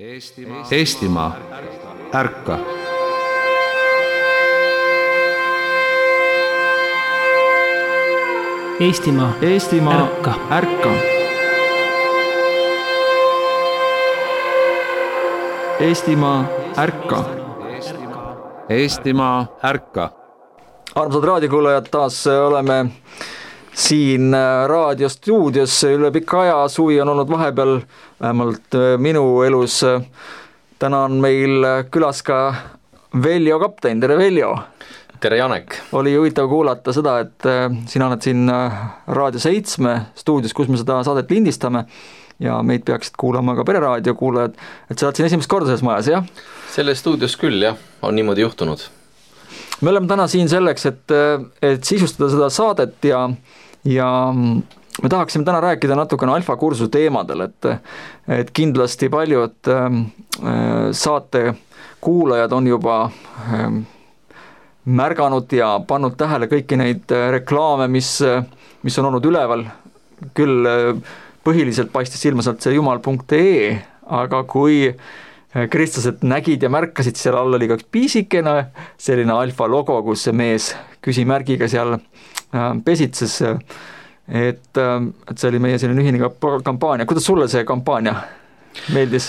Eestimaa, ärka! Eestimaa, ärka! Ärka! Eestimaa, ärka! Eestimaa, ärka! Armsad raadiokuulajad, taas oleme siin raadiostuudios üle pika aja. Suvi on olnud vahepeal, vähemalt minu elus. Täna on meil külas ka Veljo Kapten. Tere, Veljo! Tere, Janek! Oli huvitav kuulata seda, et sina oled siin Raadio 7 stuudios, kus me seda saadet lindistame ja meid peaksid kuulama ka pereraadio kuulajad. Et sa oled siin esimest korda selles majas, jah? Selles stuudios küll, jah. On niimoodi juhtunud. Me oleme täna siin selleks, et sisustada seda saadet ja me tahaksime täna rääkida natukene alfakursuse teemadel, et kindlasti paljud saate kuulajad on juba märganud ja pannud tähele kõiki neid reklaame, mis on olnud üleval. Küll põhiliselt paistis silma sealt see jumal.ee, aga kui kristlased nägid ja märkasid, seal all oli ka piisikene selline alfa logo, kus see mees küsimärgiga seal pesitses, et see oli meie selline ühine kampaania. Kuidas sulle see kampaania meeldis?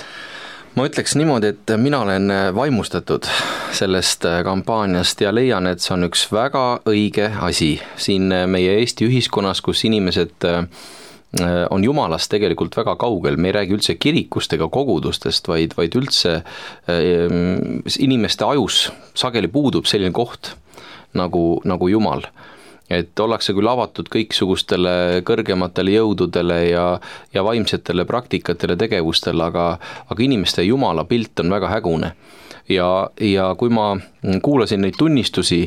Ma ütleks niimoodi, et mina olen vaimustatud sellest kampaaniast ja leian, et see on üks väga õige asi siin meie Eesti ühiskonnas, kus inimesed on Jumalast tegelikult väga kaugel. Me ei räägi üldse kirikust ega kogudustest, vaid üldse inimeste ajus sageli puudub selline koht nagu Jumal. Et ollakse küll avatud kõiksugustele kõrgematele jõududele ja vaimsetele praktikatele tegevustele, aga inimeste Jumala pilt on väga hägune. Ja kui ma kuulasin neid tunnistusi,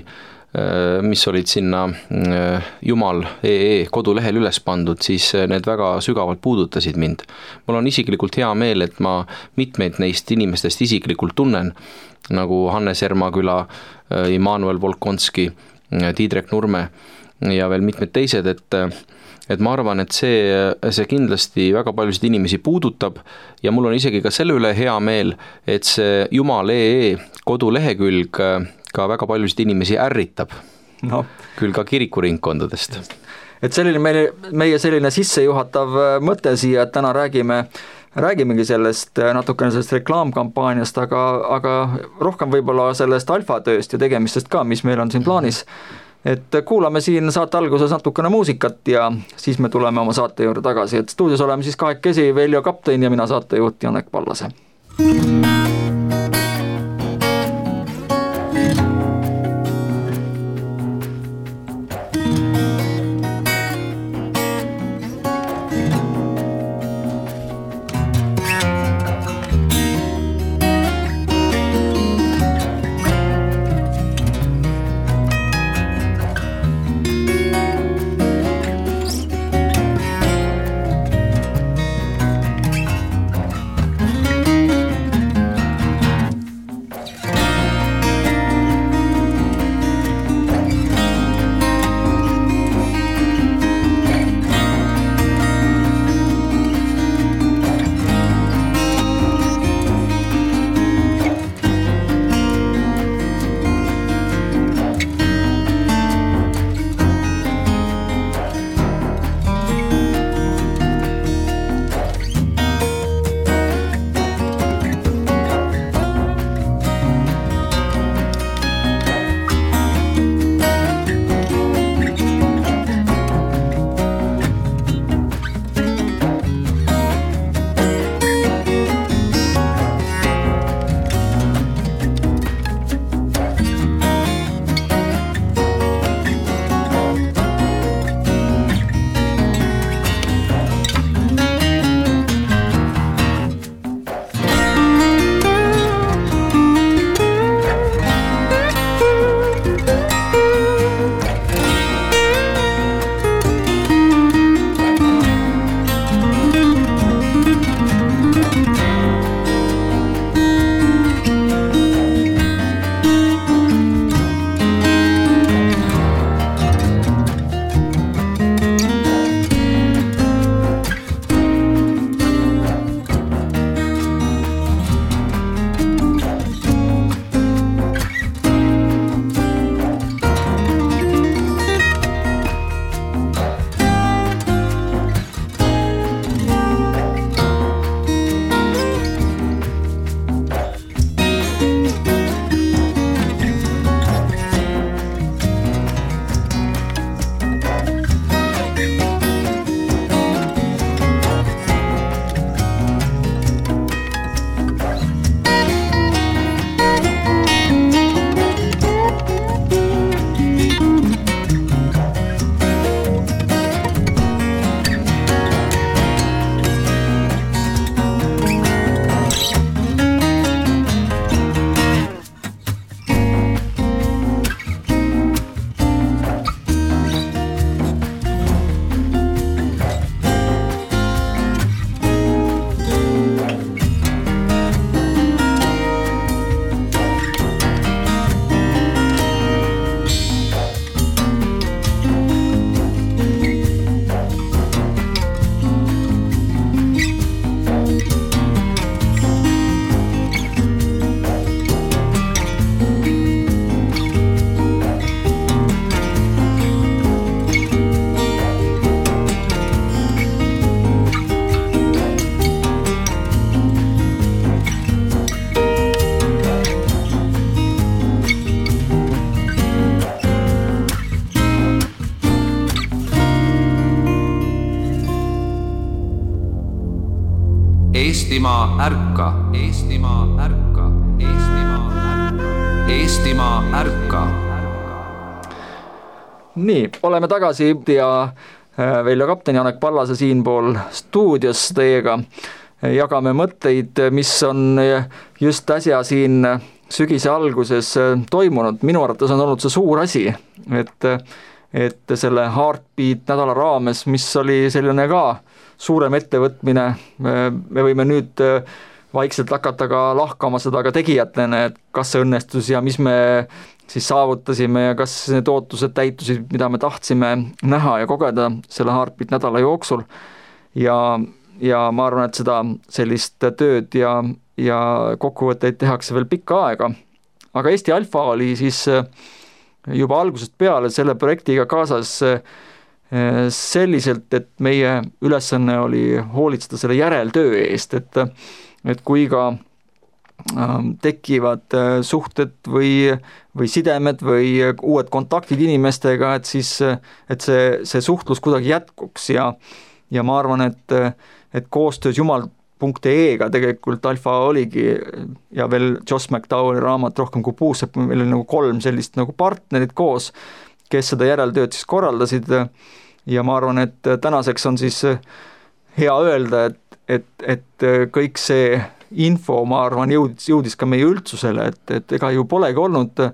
mis olid sinna jumal.ee kodulehel üles pandud, siis need väga sügavalt puudutasid mind. Mul on isiklikult hea meel, et ma mitmeid neist inimestest isiklikult tunnen, nagu Hannes Ermaküla, Immanuel Volkonski, Tiidrek Nurme ja veel mitmed teised, et ma arvan, et see kindlasti väga paljusid inimesi puudutab ja mul on isegi ka selle üle hea meel, et see jumal.ee kodulehekülg ka väga paljusid inimesi ärritab, küll ka kirikuringkondadest. Et selline meie selline sissejuhatav mõte siia, et täna räägimegi sellest natukene sellest reklaamkampaaniast, aga rohkem võib-olla sellest alfatööst ja tegemistest ka, mis meil on siin plaanis. Et kuulame siin saate alguses natukene muusikat ja siis me tuleme oma saate juurde tagasi. Et stuudios oleme siis kahekesi Veljo Kapten ja mina saatejuht Janek Pallase. Eestimaa ärka, Eestimaa ärka, Eestimaa ärka, Eestimaa ärka. Nii, oleme tagasi ja Veljo kapten Janek Pallase siinpool stuudios teiega. Jagame mõtteid, mis on just äsja siin sügise alguses toimunud. Minu arvates on olnud see suur asi, et selle Heartbeat nädala raames, mis oli selline ka suurem ettevõtmine, me võime nüüd vaikselt hakata ka lahkama seda ka tegijatena, et kas see õnnestus ja mis me siis saavutasime ja kas need ootused täitusid, mida me tahtsime näha ja kogeda selle Heartbeat nädala jooksul. Ja ma arvan, et seda sellist tööd ja kokkuvõtteid tehakse veel pikka aega. Aga Eesti Alfa oli siis juba algusest peale selle projektiga kaasas selliselt, et meie ülesanne oli hoolitseda selle järeltöö eest, et kui ka tekivad suhted või sidemed või uued kontaktid inimestega, et siis et see suhtlus kuidagi jätkuks ja ma arvan, et koostöös jumal.ee-ga tegelikult Alfa oligi ja veel Joss McDowelli raamat Rohkem kui puusepp, meil oli nagu 3 sellist nagu partnerit koos, kes seda järeltööd siis korraldasid ja ma arvan, et tänaseks on siis hea öelda, et kõik see info, ma arvan, jõudis ka meie üldsusele, et ega ju polegi olnud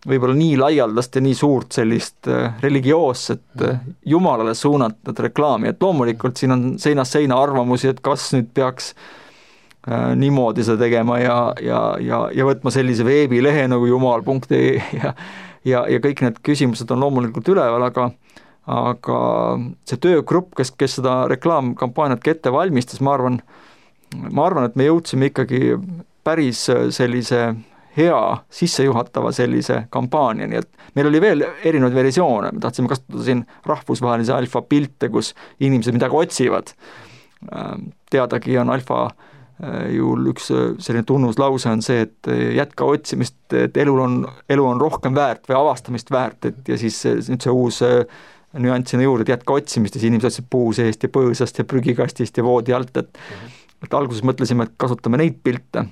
võib-olla nii laialdast ja nii suurt sellist religioosset Jumalale suunatud reklaami, et loomulikult siin on seinast seina arvamusi, et kas nüüd peaks niimoodi seda tegema ja võtma sellise veebilehe nagu jumal.ee ja kõik need küsimused on loomulikult üleval, aga see töögrupp, kes seda reklaamkampaaniat ette valmistas, ma arvan, et me jõudsime ikkagi päris sellise hea sissejuhatava sellise kampaania, nii et meil oli veel erinevaid versioone, me tahtsime kasutada siin rahvusvahelise Alfa pilte, kus inimesed midagi otsivad. Teadagi on Alfa juhul üks selline tunnuslause on see, et jätka otsimist, et elu on rohkem väärt või avastamist väärt, et ja siis nüüd see uus nüanssina juurde, et jätka otsimist ja siis inimesed otsid puu seest ja põõsast ja prügikastist ja voodi alt, et alguses mõtlesime, et kasutame neid pilte,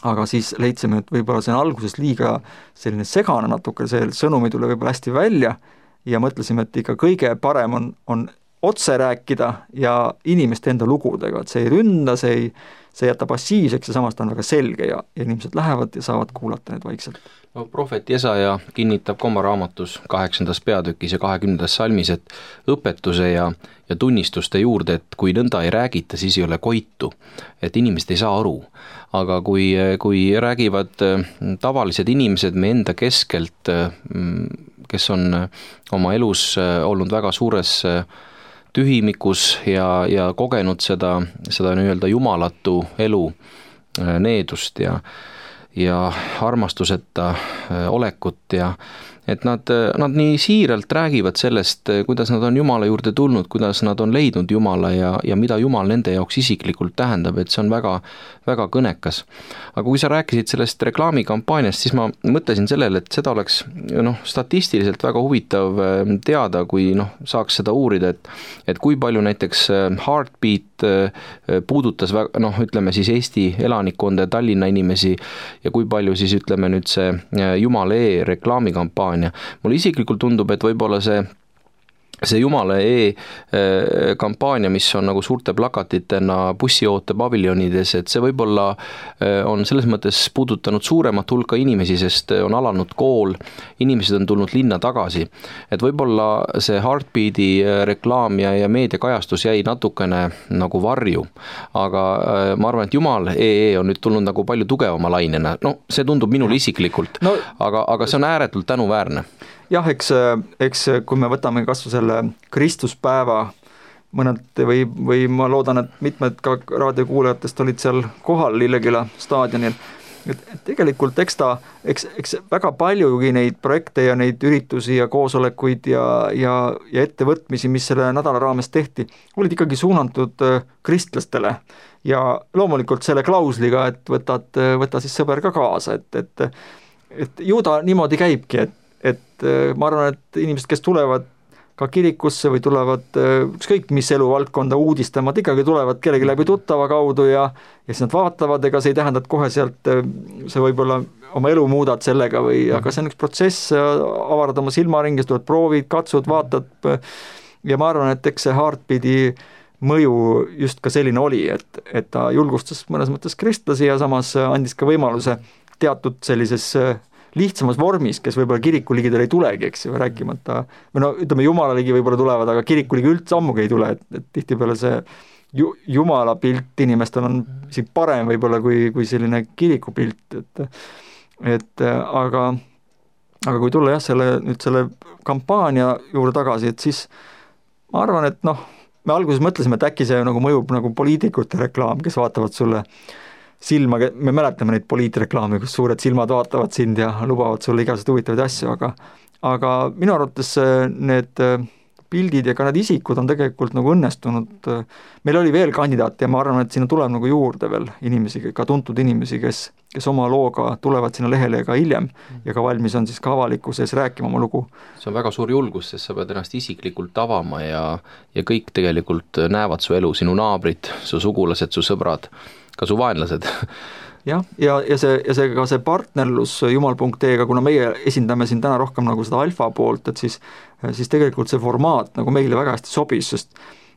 aga siis leidsime, et võib-olla see on alguses liiga selline segane natuke, see sõnum ei tule võib-olla hästi välja ja mõtlesime, et ikka kõige parem on otse rääkida ja inimeste enda lugudega, et see ei ründa, see jätta passiivseks ja samas ta on väga selge ja inimesed lähevad ja saavad kuulata need vaikselt. No, prohvet Jesaja kinnitab ka oma raamatus 8. peatükis ja 20. salmis, et õpetuse ja tunnistuste juurde, et kui nõnda ei räägita, siis ei ole koitu, et inimesed ei saa aru. Aga kui räägivad tavalised inimesed me enda keskelt, kes on oma elus olnud väga suures tühimikus ja kogenud seda nii-öelda jumalatu elu needust ja armastuseta olekut ja et nad nii siiralt räägivad sellest, kuidas nad on Jumala juurde tulnud, kuidas nad on leidnud Jumala ja mida Jumal nende jaoks isiklikult tähendab, et see on väga, väga kõnekas. Aga kui sa rääkisid sellest reklaamikampaaniast, siis ma mõtlesin sellele, et seda oleks statistiliselt väga huvitav teada, kui saaks seda uurida, et kui palju näiteks Heartbeat puudutas ütleme siis Eesti elanikkonda ja Tallinna inimesi ja kui palju siis ütleme nüüd see Jumala reklaamikampaania. Mulle isiklikult tundub, et võib-olla see Jumala kampaania, mis on nagu suurte plakatitena bussioote paviljonides, et see võib-olla on selles mõttes puudutanud suuremat hulka inimesi, sest on alanud kool, inimesed on tulnud linna tagasi. Et võib-olla see Heartbeati reklaam ja meediakajastus jäi natukene nagu varju, aga ma arvan, et Jumal on nüüd tulnud nagu palju tugevama lainena. See tundub minule isiklikult, aga see on ääretult tänuväärne. Jah, eks kui me võtame kasvu selle Kristuspäeva mõned või ma loodan, et mitmed ka raadiokuulajatest olid seal kohal Lilleküla staadionil, et tegelikult eks väga paljugi neid projekte ja neid üritusi ja koosolekuid ja ettevõtmisi, mis selle nädala raames tehti, olid ikkagi suunatud kristlastele ja loomulikult selle klausliga, et võta siis sõber ka kaasa, et ju ta niimoodi käibki, et ma arvan, et inimesed, kes tulevad ka kirikusse või tulevad ükskõik mis eluvaldkonda uudistama, et ikkagi tulevad kellegi läbi tuttava kaudu ja siis nad vaatavad, ega see ei tähenda, et kohe sealt see võib-olla oma elu muudad sellega või, aga see on üks protsess, avarad oma silmaringi, tulevad proovid, katsud, vaatad ja ma arvan, et eks see Heartbeati mõju just ka selline oli, et ta julgustas mõnes mõttes kristlasi ja samas andis ka võimaluse teatud sellises lihtsamas vormis, kes võib-olla kiriku ligidel ei tulegi, eks ju, rääkimata, või no ütleme, jumala ligi võib-olla tulevad, aga kiriku ligi üldse ammugi ei tule, et tihtipeale see jumala pilt inimestel on isegi parem võib-olla kui selline kiriku pilt, aga kui tulla nüüd selle kampaania juurde tagasi, et siis ma arvan, et me alguses mõtlesime, et äkki see nagu mõjub nagu poliitikute reklaam, kes vaatavad sulle silma, me mäletame neid poliitreklaame, kus suured silmad vaatavad sind ja lubavad sulle igasuguseid huvitavaid asju, aga minu arvates need pildid ja ka need isikud on tegelikult nagu õnnestunud. Meil oli veel kandidaate ja ma arvan, et sinna tuleb nagu juurde veel inimesi, ka tuntud inimesi, kes oma looga tulevad sinna lehele ka hiljem ja ka valmis on siis ka avalikkuses rääkima oma lugu. See on väga suur julgus, sest sa pead ennast isiklikult avama ja kõik tegelikult näevad su elu, sinu naabrid, su sugulased, su sõbrad, ka su vaenlased. Jah, ja see partnerlus jumal.ee-ga, kuna meie esindame siin täna rohkem nagu seda alfa poolt, et siis tegelikult see formaat nagu meile väga hästi sobis, sest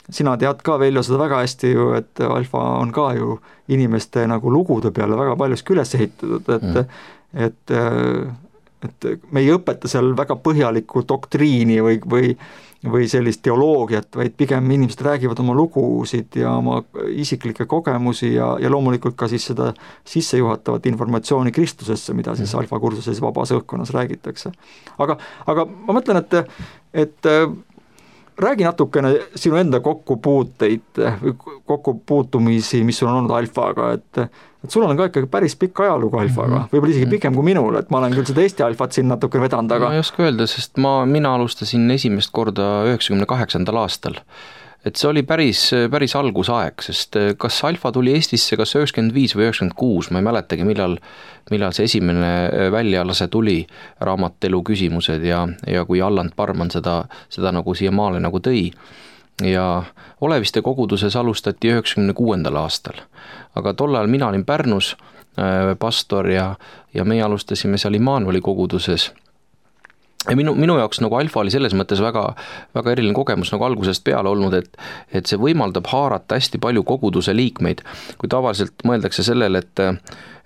sina tead ka Veljo seda väga hästi ju, et alfa on ka ju inimeste nagu lugude peale väga paljuski üles ehitatud, et me ei õpeta seal väga põhjalikku doktriini või sellist teoloogiat, vaid pigem inimesed räägivad oma lugusid ja oma isiklikke kogemusi ja loomulikult ka siis seda sissejuhatavat informatsiooni Kristusesse, mida siis alfa kursuses vabas õhkkonnas räägitakse. Aga ma mõtlen, et räägi natukene sinu enda kokkupuutumisi, mis sul on olnud alfaga, et sul on ka ikkagi päris pikk ajalugu alfaga, võib-olla isegi pikem kui minul, et ma olen küll seda Eesti alfat siin natukene vedanud, aga ma ei oska öelda, sest mina alustasin esimest korda 98. aastal. Et see oli päris algusaeg, sest kas alfa tuli Eestisse kas 95 või 96, ma ei mäletagi, millal see esimene väljalase tuli, raamatelu küsimused ja kui Alland Parman seda nagu siia maale nagu tõi. Ja Oleviste koguduses alustati 96. aastal, aga tol ajal mina olin Pärnus pastor ja meie alustasime seal Immanueli koguduses. Ja minu jaoks nagu alfa oli selles mõttes väga, väga eriline kogemus nagu algusest peale olnud, et see võimaldab haarata hästi palju koguduse liikmeid, kui tavaliselt mõeldakse sellele,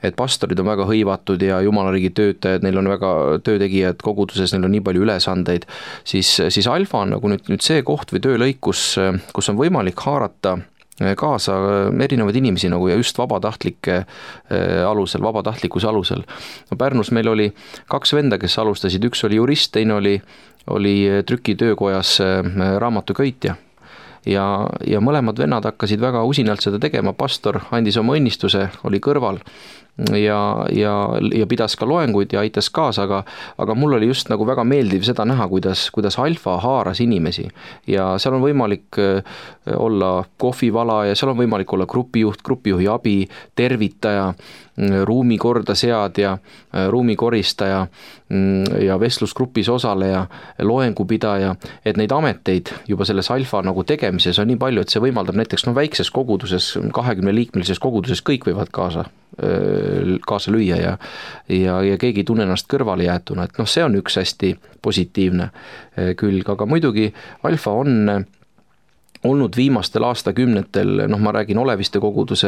et pastorid on väga hõivatud ja jumalariigi töötajad, neil on väga töötegijad koguduses, neil on nii palju ülesandeid, siis alfa on nagu nüüd see koht või töölõik, kus on võimalik haarata kaasa erinevaid inimesi nagu ja just vabatahtlikkuse alusel. No Pärnus meil oli 2 venda, kes alustasid, üks oli jurist, teine oli trükitöökojas raamatuköitja. Ja mõlemad vennad hakkasid väga usinalt seda tegema, pastor andis oma õnnistuse, oli kõrval ja pidas ka loenguid ja aitas kaasa, aga mul oli just nagu väga meeldiv seda näha, kuidas alfa haaras inimesi ja seal on võimalik olla kohvivala ja seal on võimalik olla grupijuhi abi, tervitaja, ruumi korda seadja, ruumikoristaja ja vestlusgrupis osaleja, loengupidaja, et neid ameteid juba selles alfa nagu tegemises on nii palju, et see võimaldab näiteks väikses koguduses, 20-liikmelises koguduses kõik võivad kaasa lüüa ja keegi ei tunne ennast kõrvale jäetuna, et see on üks hästi positiivne külg, aga muidugi alfa on olnud viimastel aastakümnetel, ma räägin Oleviste koguduse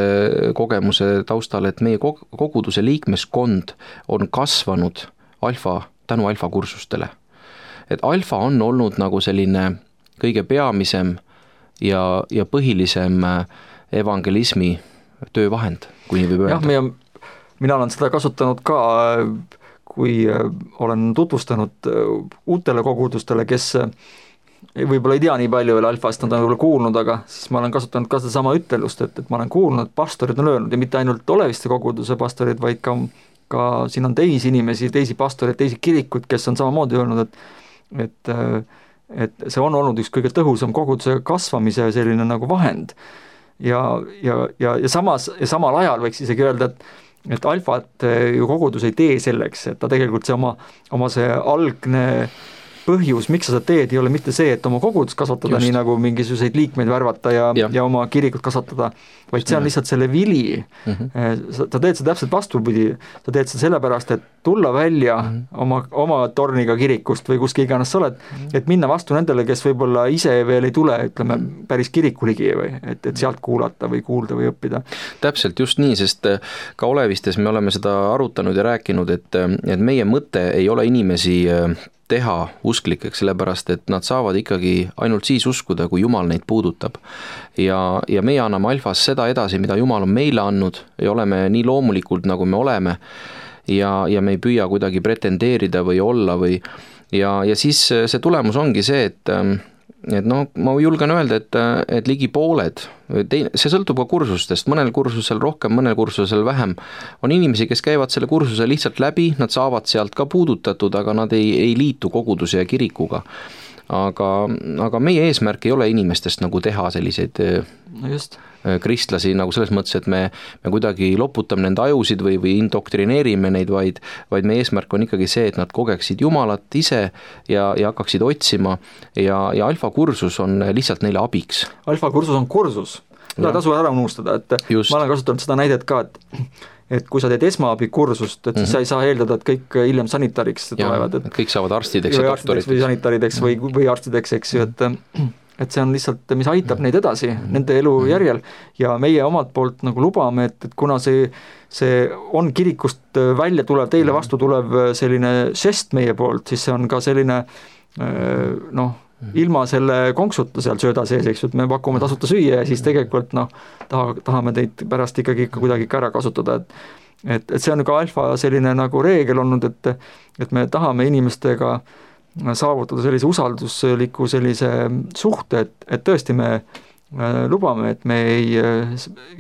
kogemuse taustal, et meie koguduse liikmeskond on kasvanud tänu alfa kursustele. Et alfa on olnud nagu selline kõige peamisem ja põhilisem evangelismi töövahend, kui nii võib öelda. Jah, mina olen seda kasutanud ka, kui olen tutvustanud uutele kogudustele, kes võib-olla ei tea nii palju veel alfast, nad on võib-olla kuulnud, aga siis ma olen kasutanud ka seda sama ütelust, et ma olen kuulnud, et pastorid on öelnud ja mitte ainult Oleviste koguduse pastorid, vaid ka siin on teisi inimesi, teisi pastoreid, teisi kirikuid, kes on samamoodi öelnud, et see on olnud üks kõige tõhusam koguduse kasvamise selline nagu vahend ja samal ajal võiks isegi öelda, et alfat ju kogudus ei tee selleks, et ta tegelikult see oma see algne põhjus, miks sa seda teed, ei ole mitte see, et oma kogudust kasvatada, nii nagu mingisuguseid liikmeid värvata ja oma kirikut kasvatada, vaid see on lihtsalt selle vili. Sa teed seda täpselt vastupidi, sa teed seda sellepärast, et tulla välja oma torniga kirikust või kuskil iganes sa oled, et minna vastu nendele, kes võib-olla ise veel ei tule, ütleme, päris kirikuligi või et sealt kuulata või kuulda või õppida. Täpselt just nii, sest ka Olevistes me oleme seda arutanud ja rääkinud, et meie mõte ei ole inimesi teha usklikeks, sellepärast et nad saavad ikkagi ainult siis uskuda, kui Jumal neid puudutab. Ja meie anname Alfas seda edasi, mida Jumal on meile andnud ja oleme nii loomulikult, nagu me oleme ja me ei püüa kuidagi pretendeerida või olla ja siis see tulemus ongi see, et ma julgen öelda, et ligi pooled, see sõltub ka kursustest, mõnel kursusel rohkem, mõnel kursusel vähem, on inimesi, kes käivad selle kursuse lihtsalt läbi, nad saavad sealt ka puudutatud, aga nad ei liitu koguduse ja kirikuga. Aga meie eesmärk ei ole inimestest nagu teha selliseid kristlasi nagu selles mõttes, et me kuidagi loputame nende ajusid või indoktrineerime neid, vaid meie eesmärk on ikkagi see, et nad kogeksid Jumalat ise ja hakkaksid otsima ja Alfa kursus on lihtsalt neile abiks. Alfa kursus on kursus, seda tasu ära unustada, et just. Ma olen kasutanud seda näidet ka, et kui sa teed esmaabikursust, et siis sa ei saa eeldada, et kõik hiljem sanitariks tulevad. Et kõik saavad arstideks ja doktoriteks. Või sanitarideks või arstideks, eks ju, et see on lihtsalt, mis aitab neid edasi, nende elu järjel ja meie omalt poolt nagu lubame, et kuna see on kirikust välja tulev, teile vastu tulev selline žest meie poolt, siis see on ka selline ilma selle konksuta seal sööda sees, eks ju, et me pakume tasuta süüa ja siis tegelikult tahame teid pärast ikkagi kuidagi ära kasutada, et see on ka Alfa selline nagu reegel olnud, et me tahame inimestega saavutada sellise usaldusliku sellise suhte, et tõesti me lubame, et me ei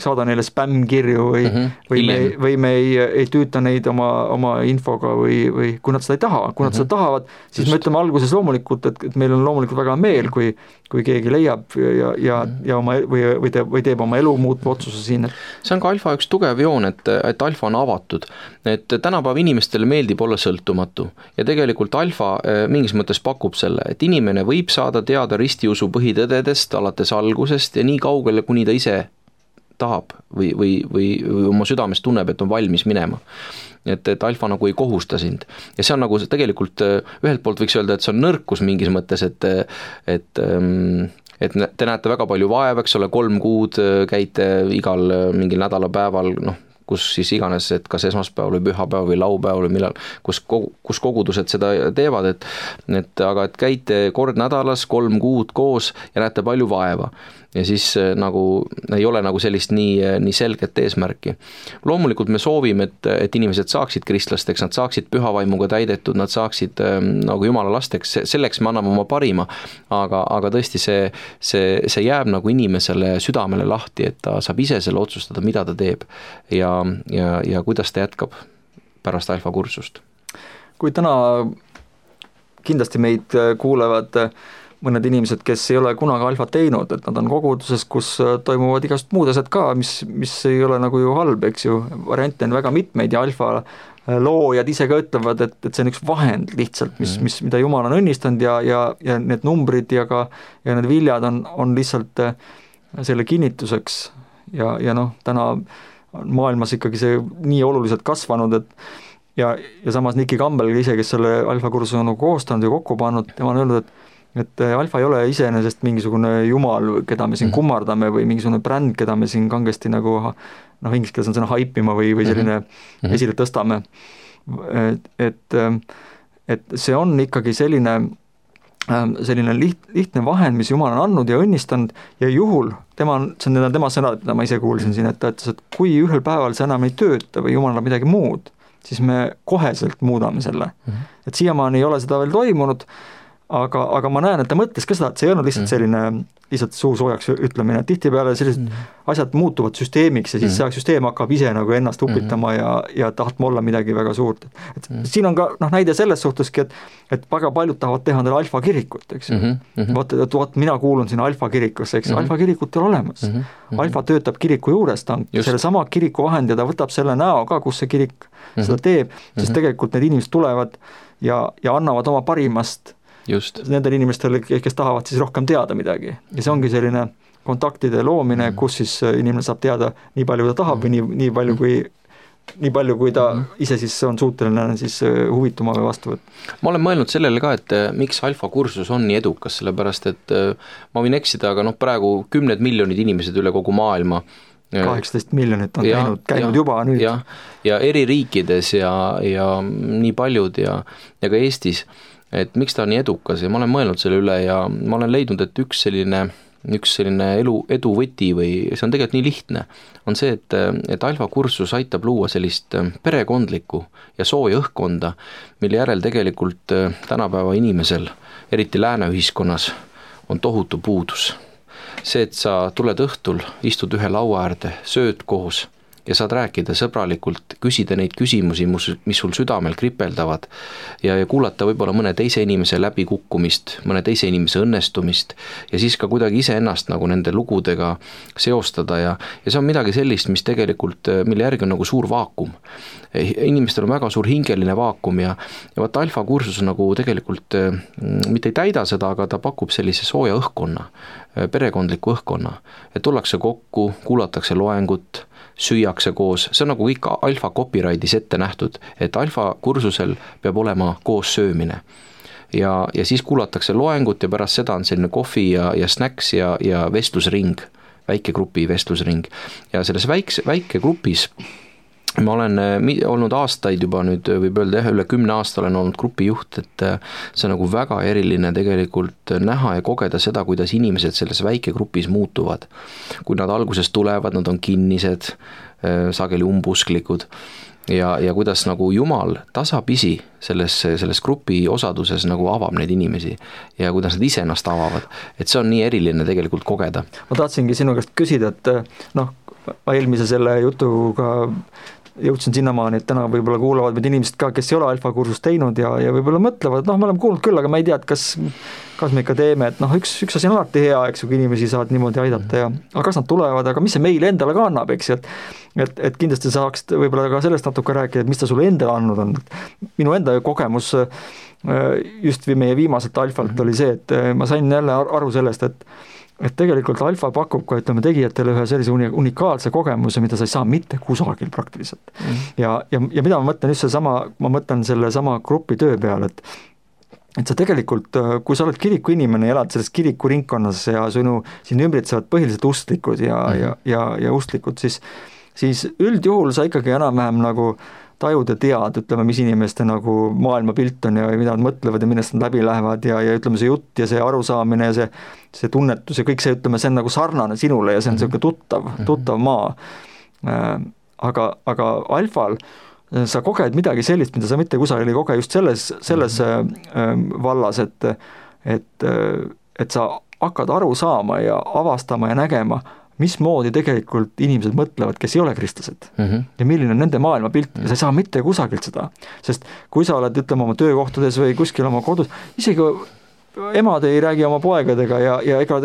saada neile spämmkirju või me ei tüüta neid oma infoga või kui nad seda ei taha, kui nad seda tahavad, siis me ütleme alguses loomulikult, et meil on loomulikult väga meel, kui keegi leiab ja oma, või teeb oma elu muutva otsuse siin. See on ka Alfa üks tugev joon, et Alfa on avatud, et tänapäev inimestele meeldib olla sõltumatu ja tegelikult Alfa mingis mõttes pakub selle, et inimene võib saada teada ristiusu põhitõdedest alates algusest ja nii kaugele, kuni ta ise tahab või oma südames tunneb, et on valmis minema. Et Alfa nagu ei kohusta sind. Ja see on nagu tegelikult ühelt poolt võiks öelda, et see on nõrkus mingis mõttes, et te näete väga palju vaeva, eks ole, 3 kuud käite igal mingil nädalapäeval, kus siis iganes, et kas esmaspäev või pühapäev või laupäev või millal, kus kogudused seda teevad, aga et käite kord nädalas 3 kuud koos ja näete palju vaeva. Ja siis nagu ei ole nagu sellist nii selget eesmärki. Loomulikult me soovime, et inimesed saaksid kristlasteks, nad saaksid pühavaimuga täidetud, nad saaksid nagu Jumala lasteks, selleks me anname oma parima, aga tõesti see jääb nagu inimesele südamele lahti, et ta saab ise selle otsustada, mida ta teeb ja kuidas ta jätkab pärast Alfa kursust. Kui täna kindlasti meid kuulevad mõned inimesed, kes ei ole kunagi Alfat teinud, et nad on koguduses, kus toimuvad igast muud asjad ka, mis ei ole nagu ju halb, eks ju, variante on väga mitmeid ja Alfa loojad ise ka ütlevad, et see on üks vahend lihtsalt, mida Jumal on õnnistanud ja need numbrid ja need viljad on lihtsalt selle kinnituseks ja täna on maailmas ikkagi see nii oluliselt kasvanud, ja samas Niki Campbell ise, kes selle Alfa kursuse on koostanud ja kokku pannud, tema on öelnud, et Alfa ei ole iseenesest mingisugune jumal, keda me siin kummardame või mingisugune bränd, keda me siin kangesti nagu inglise keeles on sõna haipima või selline esile tõstame. Et see on ikkagi selline lihtne vahend, mis Jumal on andnud ja õnnistanud ja juhul, tema sõnad, mida ma ise kuulsin siin, et ta ütles, et kui ühel päeval see enam ei tööta või Jumal annab midagi muud, siis me koheselt muudame selle. Et siiamaani ei ole seda veel toimunud, aga ma näen, et ta mõtles ka seda, et see ei olnud lihtsalt selline lihtsalt suusoojaks ütlemine, et tihtipeale sellised asjad muutuvad süsteemiks ja siis see süsteem hakkab ise nagu ennast upitama ja tahtma olla midagi väga suurt. Et siin on ka näide selles suhteski, et väga paljud tahavad teha endale Alfa kirikut, eks ju. Vaat mina kuulun sinna Alfa kirikusse, eks Alfa kirikut ei ole olemas. Alfa töötab kiriku juures, ta on selle sama kiriku vahend ja ta võtab selle näo ka, kus see kirik seda teeb, sest tegelikult need inimesed tulevad ja annavad oma parimast just. Nendele inimestele, kes tahavad siis rohkem teada midagi. Ja see ongi selline kontaktide loomine, kus siis inimene saab teada nii palju, kui ta tahab või nii palju, kui ta ise siis on suuteline siis huvituma või vastu võtta. Ma olen mõelnud sellele ka, et miks alfa kursus on nii edukas, sellepärast et ma võin eksida, aga praegu 10 miljonid inimesed üle kogu maailma 18 miljonit on käinud juba nüüd. Ja eri riikides ja nii paljud ja ka Eestis, et miks ta on nii edukas ja ma olen mõelnud selle üle ja ma olen leidnud, et üks selline edu võti või see on tegelikult nii lihtne, on see, et alfa kursus aitab luua sellist perekondlikku ja sooja õhkkonda, mille järel tegelikult tänapäeva inimesel, eriti lääne ühiskonnas, on tohutu puudus. See, et sa tuled õhtul, istud ühe laua äärde, sööd koos ja saad rääkida sõbralikult, küsida neid küsimusi, mis sul südamel kripeldavad ja kuulata võib-olla mõne teise inimese läbikukkumist, mõne teise inimese õnnestumist ja siis ka kuidagi iseennast nagu nende lugudega seostada ja see on midagi sellist, mis tegelikult, mille järgi on nagu suur vaakum. Inimestel on väga suur hingeline vaakum ja vaata alfa kursus nagu tegelikult mitte ei täida seda, aga ta pakub sellise sooja õhkkonna, perekondliku õhkkonna, et tullakse kokku, kuulatakse loengut, süüakse koos, see on nagu kõik alfa copyrightis ette nähtud, et alfa kursusel peab olema koos söömine. Ja siis kuulatakse loengut ja pärast seda on selline kohvi ja snacks ja vestlusring, väikegrupi vestlusring. Ja selles väike grupis ma olen olnud aastaid juba nüüd, võib öelda üle 10 aasta olen olnud grupijuht, et see on nagu väga eriline tegelikult näha ja kogeda seda, kuidas inimesed selles väikegrupis muutuvad. Kui nad alguses tulevad, nad on kinnised, sageli umbusklikud ja kuidas nagu Jumal tasapisi selles grupi osaduses nagu avab neid inimesi ja kuidas nad ise ennast avavad, et see on nii eriline tegelikult kogeda. Ma tahtsingi sinu käest küsida, et ma eelmise selle jutuga jõudsin sinnamaani, et täna võib-olla kuulavad meid inimesed ka, kes ei ole alfa kursust teinud ja võib-olla mõtlevad, me oleme kuulnud küll, aga ma ei tea, et kas me ikka teeme, et üks asi on alati hea, eks ju, kui inimesi saad niimoodi aidata aga kas nad tulevad, aga mis see meile endale ka annab, eks, et kindlasti saaksid võib-olla ka sellest natuke rääkida, et mis ta sulle endale andnud on. Minu enda kogemus just meie viimaselt alfalt oli see, et ma sain jälle aru sellest, et tegelikult alfa pakub ka, ütleme, tegijatele ühe sellise unikaalse kogemuse, mida sa ei saa mitte kusagil praktiliselt. Ja mida ma mõtlen just ma mõtlen selle sama grupi töö peale, et sa tegelikult, kui sa oled kiriku inimene ja elad selles kiriku ringkonnas ja siin ümbritsevad põhiliselt ustlikud ja ustlikud, siis üldjuhul sa ikkagi enam-vähem nagu tajud ja tead, ütleme, mis inimeste nagu maailmapilt on ja mida nad mõtlevad ja millest nad läbi lähevad ja ütleme, see jutt ja see arusaamine ja see tunnetus ja kõik see, ütleme, see on nagu sarnane sinule ja see on selline tuttav maa. Aga alfal sa koged midagi sellist, mida sa mitte kusagil ei koge just selles vallas, et sa hakkad aru saama ja avastama ja nägema, mismoodi tegelikult inimesed mõtlevad, kes ei ole kristlased ja milline on nende maailmapilt ja sa ei saa mitte kusagilt seda, sest kui sa oled, ütleme, oma töökohtades või kuskil oma kodus, isegi emad ei räägi oma poegadega ja ega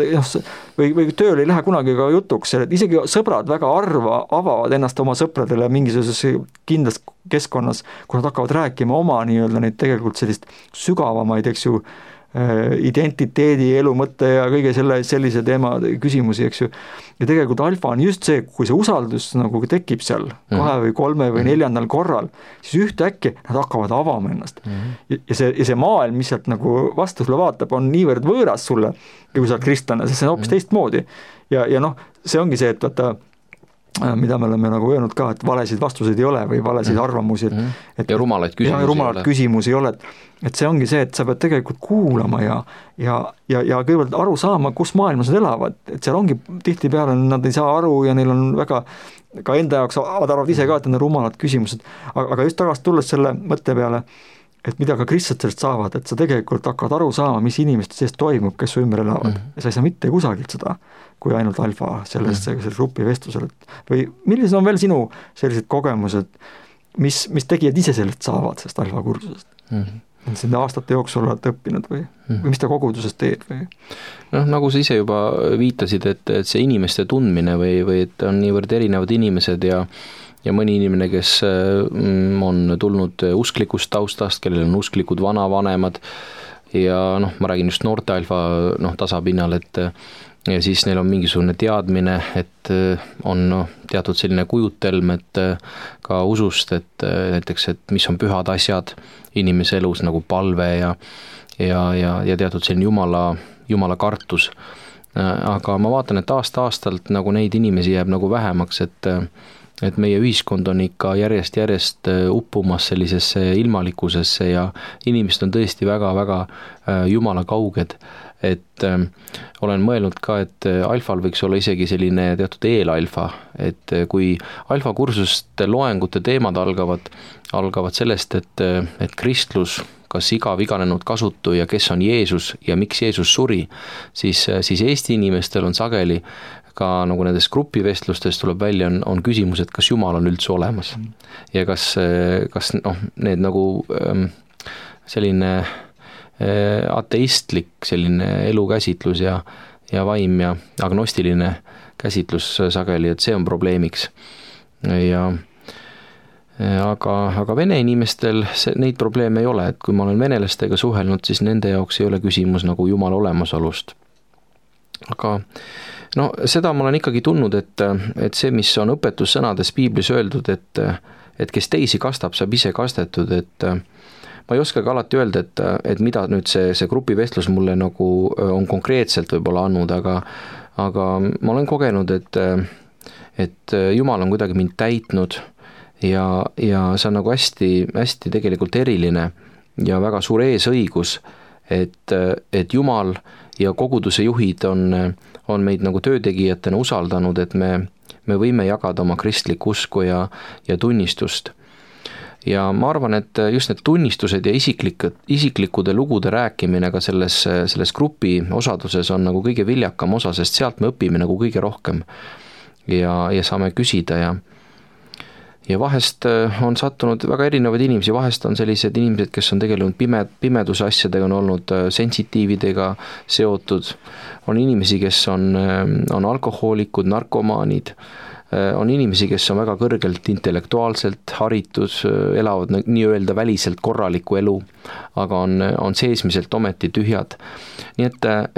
või tööl ei lähe kunagi ka jutuks, et isegi sõbrad väga harva avavad ennast oma sõpradele mingisuguses kindlas keskkonnas, kui nad hakkavad rääkima oma nii-öelda neid tegelikult sellist sügavamaid, eks ju, identiteedi, elu mõtte ja kõige sellise teema küsimusi, eks ju. Ja tegelikult alfa on just see, kui see usaldus nagu tekib seal 2 või 3 või 4. korral, siis ühtäkki nad hakkavad avama ennast. Ja see maailm, mis sealt nagu vastu sulle vaatab, on niivõrd võõras sulle, kui sa oled kristlane, sest see on hoopis teistmoodi. Ja see ongi see, et vaata, mida me oleme nagu öelnud ka, et valesid vastuseid ei ole või valesid arvamusi. Ja rumalaid küsimusi ei ole. Et see ongi see, et sa pead tegelikult kuulama ja kõigepealt aru saama, kus maailmas nad elavad. Et seal ongi tihtipeale, nad ei saa aru ja neil on väga, ka enda jaoks arvavad ise ka, et need on rumalad küsimused. Aga just tagasi tulles selle mõtte peale, et mida ka kristlased sellest saavad, et sa tegelikult hakkad aru saama, mis inimeste sees toimub, kes su ümber elavad. Ja sa ei saa mitte kusagilt seda, kui ainult alfa selles grupi vestlusel. Või millised on veel sinu sellised kogemused, mis tegijad ise sellest saavad, sellest alfa kursusest? Sinna aastate jooksul oled õppinud või mis ta koguduses teed? Või? Nagu sa ise juba viitasid, et see inimeste tundmine või et on niivõrd erinevad inimesed ja mõni inimene, kes on tulnud usklikust taustast, kellel on usklikud vanavanemad, ja noh, ma räägin just noorte alfa tasapinnal, et ja siis neil on mingisugune teadmine, et on teatud selline kujutelm, et ka usust, et näiteks, et mis on pühad asjad inimese elus nagu palve ja teatud selline jumala kartus. Aga ma vaatan, et aasta-aastalt nagu neid inimesi jääb nagu vähemaks, et meie ühiskond on ikka järjest uppumas sellisesse ilmalikkusesse ja inimesed on tõesti väga-väga jumala kauged. Et olen mõelnud ka, et alfal võiks olla isegi selline teatud eelalfa, et kui alfa kursuste loengute teemad algavad sellest, et kristlus, kas igav iganenud kasutu ja kes on Jeesus ja miks Jeesus suri, siis Eesti inimestel on sageli ka nagu nendes grupivestlustes tuleb välja, on küsimus, et kas Jumal on üldse olemas ja kas need nagu selline ateistlik selline elukäsitlus ja vaim ja agnostiline käsitlus sageli, et see on probleemiks. Aga vene inimestel neid probleeme ei ole, et kui ma olen venelastega suhelnud, siis nende jaoks ei ole küsimus nagu Jumala olemasolust. Aga seda ma olen ikkagi tundnud, et see, mis on õpetussõnades Piiblis öeldud, et kes teisi kastab, saab ise kastetud, et ma ei oskagi alati öelda, et mida nüüd see grupivestlus mulle nagu on konkreetselt võib-olla andnud, aga ma olen kogenud, et Jumal on kuidagi mind täitnud ja see on nagu hästi, hästi tegelikult eriline ja väga suur eesõigus, et Jumal ja koguduse juhid on meid nagu töötegijatena usaldanud, et me võime jagada oma kristlikku usku ja tunnistust. Ja ma arvan, et just need tunnistused ja isiklikude lugude rääkimine ka selles grupi osaduses on nagu kõige viljakam osa, sest sealt me õpime nagu kõige rohkem ja saame küsida ja vahest on sattunud väga erinevaid inimesi, vahest on sellised inimesed, kes on tegelenud pimeduse asjadega, on olnud sensitiividega seotud, on inimesi, kes on alkohoolikud, narkomaanid, on inimesi, kes on väga kõrgelt intellektuaalselt haritud, elavad nii-öelda väliselt korralikku elu, aga on seesmiselt ometi tühjad. Nii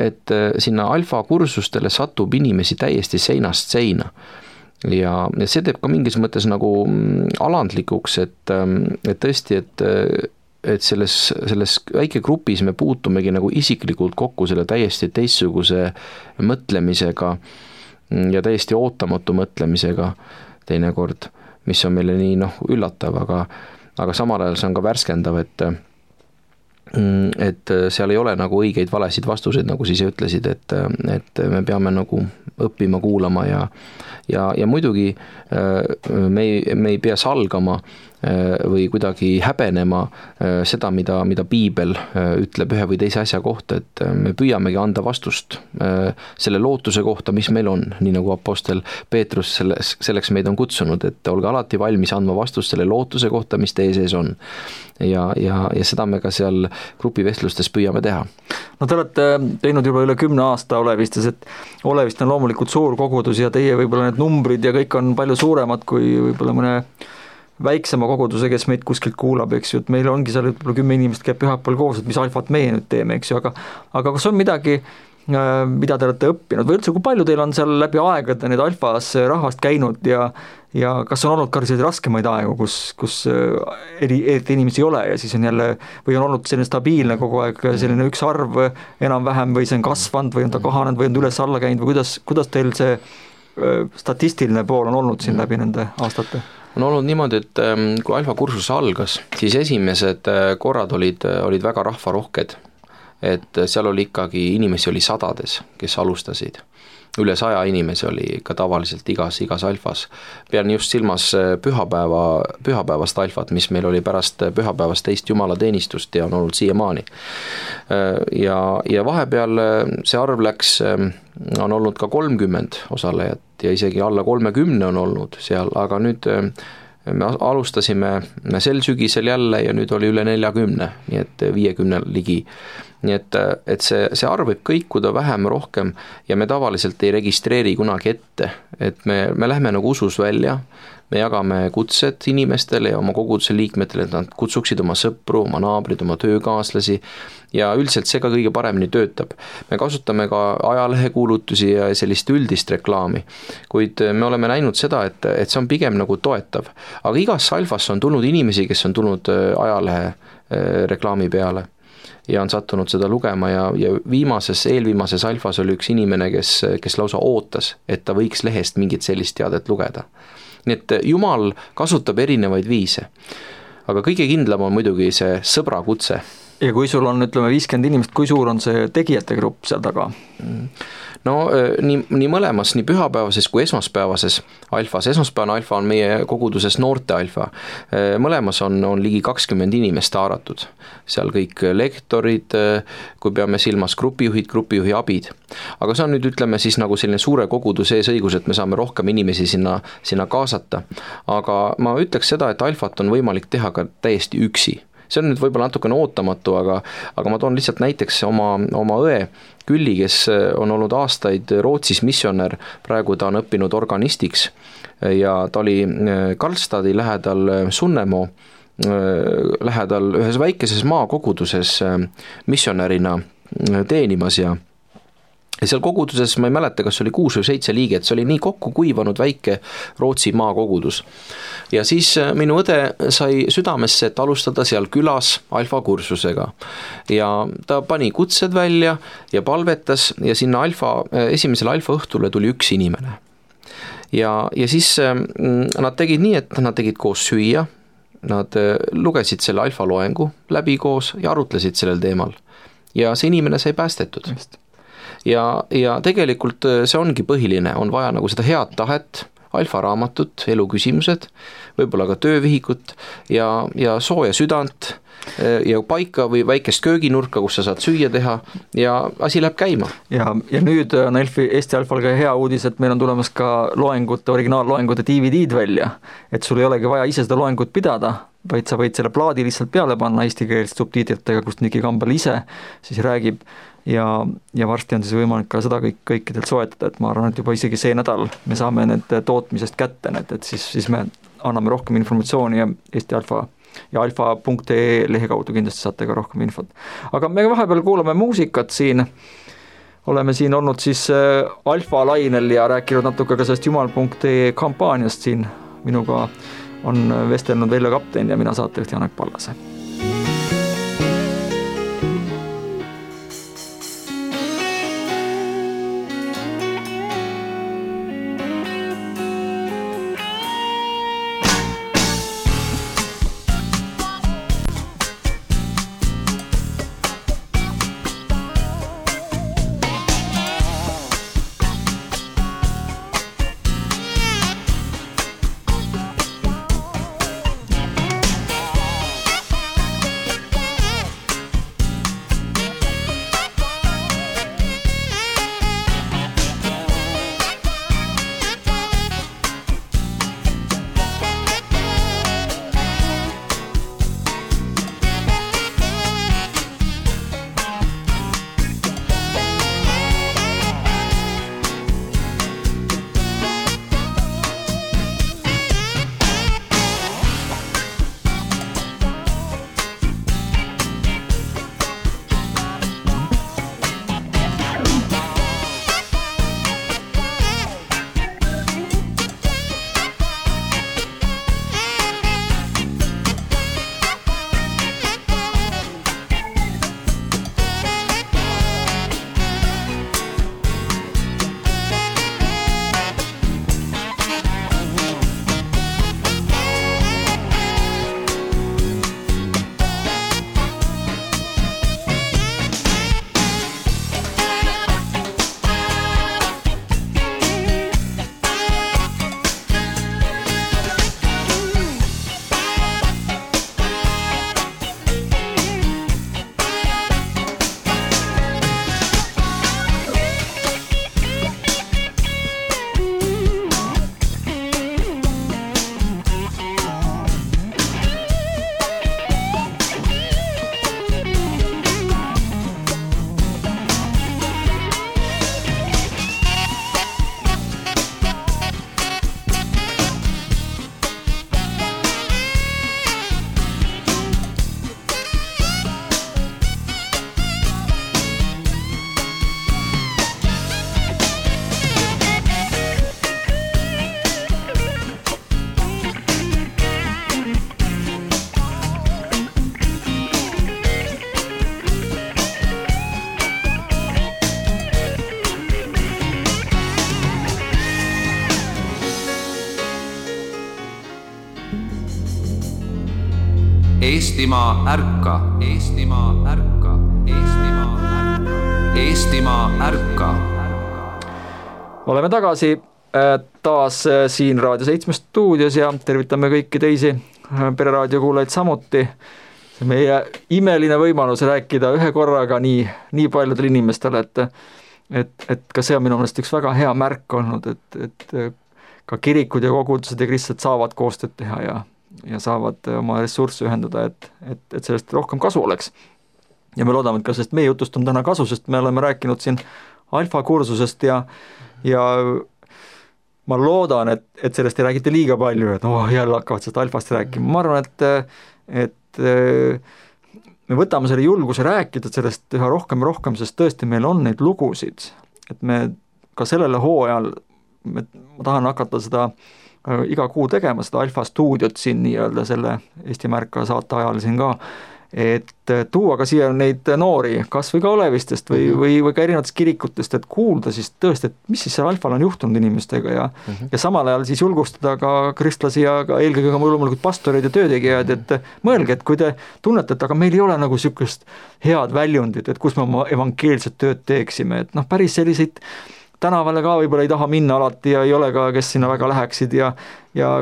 et sinna alfa kursustele satub inimesi täiesti seinast seina. Ja see teeb ka mingis mõttes nagu alandlikuks, et tõesti, et selles väikegrupis me puutumegi nagu isiklikult kokku selle täiesti teistsuguse mõtlemisega ja täiesti ootamatu mõtlemisega teinekord, mis on meile nii üllatav, aga samal ajal see on ka värskendav, et seal ei ole nagu õigeid valesid vastuseid, nagu siis ütlesid, et me peame nagu õppima, kuulama ja muidugi me ei pea salgama või kuidagi häbenema seda, mida Piibel ütleb ühe või teise asja kohta, et me püüamegi anda vastust selle lootuse kohta, mis meil on, nii nagu apostel Peetrus selleks meid on kutsunud, et olge alati valmis andma vastust selle lootuse kohta, mis teie sees on. Ja seda me ka seal grupivestlustes püüame teha. No te olete teinud juba üle 10 aasta Olevistes, et Olevist on loomulikult suur kogudus ja teie võib-olla need numbrid ja kõik on palju suuremad kui võib-olla mõne väiksema koguduse, kes meid kuskilt kuulab, eks ju, et meil ongi seal võib-olla 10 inimest käib pühapäeval koos, et mis alfat meie nüüd teeme, eks ju, aga kas on midagi, mida te olete õppinud või üldse, kui palju teil on seal läbi aegade need alfas rahvast käinud ja kas on olnud ka selliseid raskemaid aegu, kus inimesi ei ole ja siis on jälle, või on olnud selline stabiilne kogu aeg selline üks arv enam-vähem või see on kasvanud või on ta kahanenud või on üles alla käinud või kuidas teil see statistiline pool on olnud siin läbi nende aastate? On olnud niimoodi, et kui alfa kursus algas, siis esimesed korrad olid väga rahvarohked, et seal oli ikkagi inimesi oli sadades, kes alustasid. Üle 100 inimesi oli ka tavaliselt igas alfas. Pean just silmas pühapäevast alfat, mis meil oli pärast pühapäevast teist jumalateenistust ja on olnud siiamaani. Ja vahepeal see arv on olnud ka 30 osalejat ja isegi alla 30 on olnud seal, aga nüüd me alustasime sel sügisel jälle ja nüüd oli üle 40, nii et 50 ligi. nii et see arv võib kõikuda vähem-rohkem ja me tavaliselt ei registreeri kunagi ette, et me lähme nagu usus välja, me jagame kutsed inimestele ja oma koguduse liikmetele, et nad kutsuksid oma sõpru, oma naabrid, oma töökaaslasi ja üldiselt see ka kõige paremini töötab. Me kasutame ka ajalehekuulutusi ja sellist üldist reklaami, kuid me oleme näinud seda, et see on pigem nagu toetav. Aga igasse alfasse on tulnud inimesi, kes on tulnud ajalehe reklaami peale ja on sattunud seda lugema ja eelviimases alfas oli üks inimene, kes lausa ootas, et ta võiks lehest mingit sellist teadet lugeda. Nii et Jumal kasutab erinevaid viise, aga kõige kindlam on muidugi see sõbra kutse. Ja kui sul on, ütleme, 50 inimest, kui suur on see tegijate grupp seal taga? No nii mõlemas, nii pühapäevases kui esmaspäevases alfas. Esmaspäevane alfa on meie koguduses noorte alfa. Mõlemas on ligi 20 inimest haaratud. Seal kõik lektorid, kui peame silmas grupijuhid, grupijuhi abid. Aga see on nüüd, ütleme siis nagu selline suure koguduse õigus, et me saame rohkem inimesi sinna kaasata. Aga ma ütleks seda, et alfat on võimalik teha ka täiesti üksi. See on nüüd võib-olla natukene ootamatu, aga ma toon lihtsalt näiteks oma õe Külli, kes on olnud aastaid Rootsis missionär, praegu ta on õppinud organistiks ja ta oli Karlstadi lähedal Sunnemoo lähedal ühes väikeses maakoguduses missionärina teenimas ja seal koguduses, ma ei mäleta, kas oli 6 või 7 liiget, see oli nii kokku kuivanud väike Rootsi maakogudus. Ja siis minu õde sai südamesse, et alustada seal külas alfa kursusega. Ja ta pani kutsed välja ja palvetas ja sinna esimesele alfa õhtule tuli üks inimene. Ja siis nad tegid nii, et nad tegid koos süüa, nad lugesid selle alfa loengu läbi koos ja arutlesid sellel teemal. Ja see inimene sai päästetud. Ja tegelikult see ongi põhiline, on vaja nagu seda head tahet, alfa raamatut, eluküsimused, võib-olla ka töövihikut ja sooja südant ja paika või väikest kööginurka, kus sa saad süüa teha ja asi läheb käima. Ja nüüd on Eesti Alfal ka hea uudis, et meil on tulemas ka originaalloengute DVD-d välja, et sul ei olegi vaja ise seda loengut pidada, vaid sa võid selle plaadi lihtsalt peale panna eesti keelest subtiitritega, kus Niki Kambel ise siis räägib ja varsti on siis võimalik ka seda kõikidelt soetada, et ma arvan, et juba isegi see nädal me saame need tootmisest kätte, et siis me anname rohkem informatsiooni ja Eesti Alfa ja alfa.ee lehe kaudu kindlasti saate ka rohkem infot. Aga me vahepeal kuulame muusikat siin, oleme siin olnud siis alfa lainel ja rääkinud natuke ka sellest jumal.ee kampaaniast siin, minuga on vestelnud Veljo Kapten ja mina saatejuht Janek Pallase. Eestimaa ärka, Eestimaa ärka, Eestimaa ärka, Eestimaa ärka. Oleme tagasi taas siin Raadio 7 stuudios ja tervitame kõiki teisi Pereraadio kuulajaid samuti. Meie imeline võimalus rääkida ühe korraga nii paljudele inimestele, et ka see on minu meelest üks väga hea märk olnud, et ka kirikud ja kogudused ja kristlased saavad koostööd teha ja saavad oma ressursse ühendada, et sellest rohkem kasu oleks. Ja me loodame, et ka sellest meie jutust on täna kasu, sest me oleme rääkinud siin alfa kursusest ja ma loodan, et sellest ei räägita liiga palju, et jälle hakkavad sellest alfast rääkima. Ma arvan, et me võtame selle julguse rääkida sellest üha rohkem, sest tõesti meil on neid lugusid, et me ka sellele hooajal, ma tahan hakata seda iga kuu tegema, seda alfa stuudiot siin nii-öelda selle Eesti Märka saate ajal siin ka, et tuua ka siia neid noori, kas või ka Olevistest või ka erinevatest kirikutest, et kuulda siis tõesti, et mis siis seal alfal on juhtunud inimestega ja samal ajal siis julgustada ka kristlasi ja ka eelkõige ka loomulikult pastoreid ja töötegijad, et mõelge, et kui te tunnete, et aga meil ei ole nagu niisugust head väljundit, et kus me oma evangeelset tööd teeksime, et päris selliseid tänavale ka võib-olla ei taha minna alati ja ei ole ka, kes sinna väga läheksid ja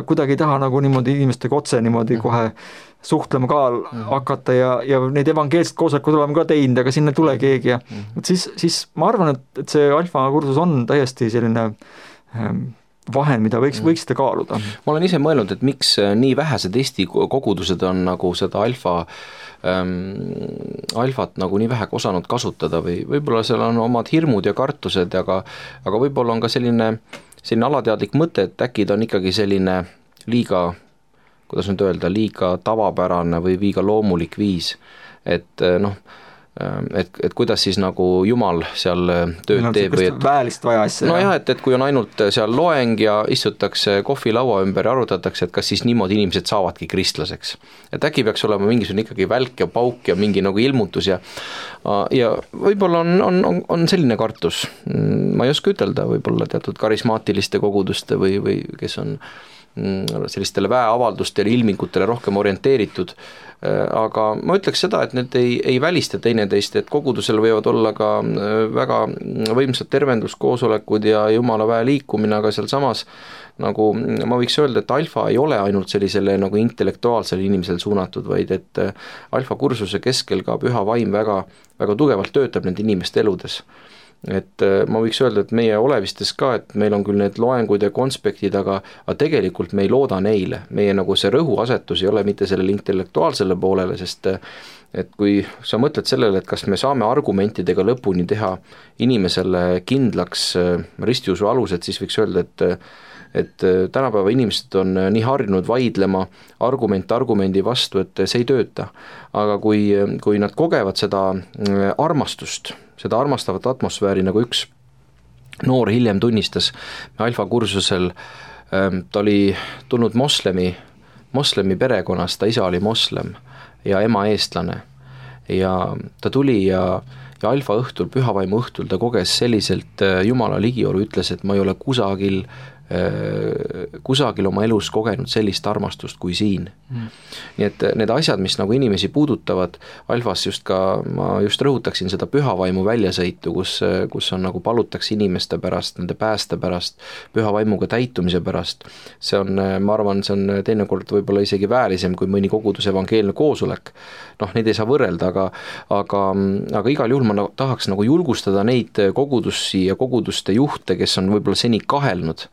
kuidagi ei taha nagu niimoodi inimestega otse niimoodi kohe suhtlema ka hakata ja neid evangeelset koosolekud oleme ka teinud, aga sinna ei tule keegi ja siis ma arvan, et see alfa kursus on täiesti selline vahend, mida võiksite kaaluda. Ma olen ise mõelnud, et miks nii vähesed Eesti kogudused on nagu seda alfat nagu nii vähe osanud kasutada või võib-olla seal on omad hirmud ja kartused, aga võib-olla on ka selline alateadlik mõte, et äkki ta on ikkagi selline liiga, kuidas nüüd öelda, liiga tavapärane või liiga loomulik viis, et kuidas siis nagu Jumal seal tööd teeb või väelist vaja asja. No jah, et kui on ainult seal loeng ja istutakse kohvilaua ümber ja arutatakse, et kas siis niimoodi inimesed saavadki kristlaseks. Et äkki peaks olema mingisugune ikkagi välk ja pauk ja mingi nagu ilmutus ja võib-olla on selline kartus. Ma ei oska ütelda, võib-olla teatud karismaatiliste koguduste või kes on sellistele väeavaldustele, ilmingutele rohkem orienteeritud, aga ma ütleks seda, et need ei välista teineteist, et kogudusel võivad olla ka väga võimsad tervenduskoosolekud ja Jumala väe liikumine, aga seal samas nagu ma võiks öelda, et alfa ei ole ainult sellisele nagu intellektuaalsele inimesele suunatud, vaid et alfa kursuse keskel ka püha vaim väga, väga tugevalt töötab nende inimeste eludes. Et ma võiks öelda, et meie Olevistes ka, et meil on küll need loengud ja konspektid, aga tegelikult me ei looda neile. Meie nagu see rõhuasetus ei ole mitte sellele intellektuaalsele poolele, sest et kui sa mõtled sellele, et kas me saame argumentidega lõpuni teha inimesele kindlaks ristiusu alused, siis võiks öelda, et tänapäeva inimesed on nii harjunud vaidlema argumendi vastu, et see ei tööta. Aga kui nad kogevad seda armastust, seda armastavat atmosfääri, nagu üks noor hiljem tunnistas alfa kursusel, ta oli tulnud moslemi perekonnast, ta isa oli moslem ja ema eestlane ja ta tuli ja alfa õhtul, pühavaimu õhtul ta koges selliselt Jumala ligiolu, ütles, et ma ei ole kusagil oma elus kogenud sellist armastust kui siin. Nii et need asjad, mis nagu inimesi puudutavad, alfas ma just rõhutaksin seda pühavaimu väljasõitu, kus on nagu palutakse inimeste pärast, nende pääste pärast, pühavaimuga täitumise pärast. See on, ma arvan, see on teinekord võib-olla isegi väärisem kui mõni koguduse evangeelne koosolek. Neid ei saa võrrelda, aga igal juhul ma tahaks nagu julgustada neid kogudusi ja koguduste juhte, kes on võib-olla seni kahelnud,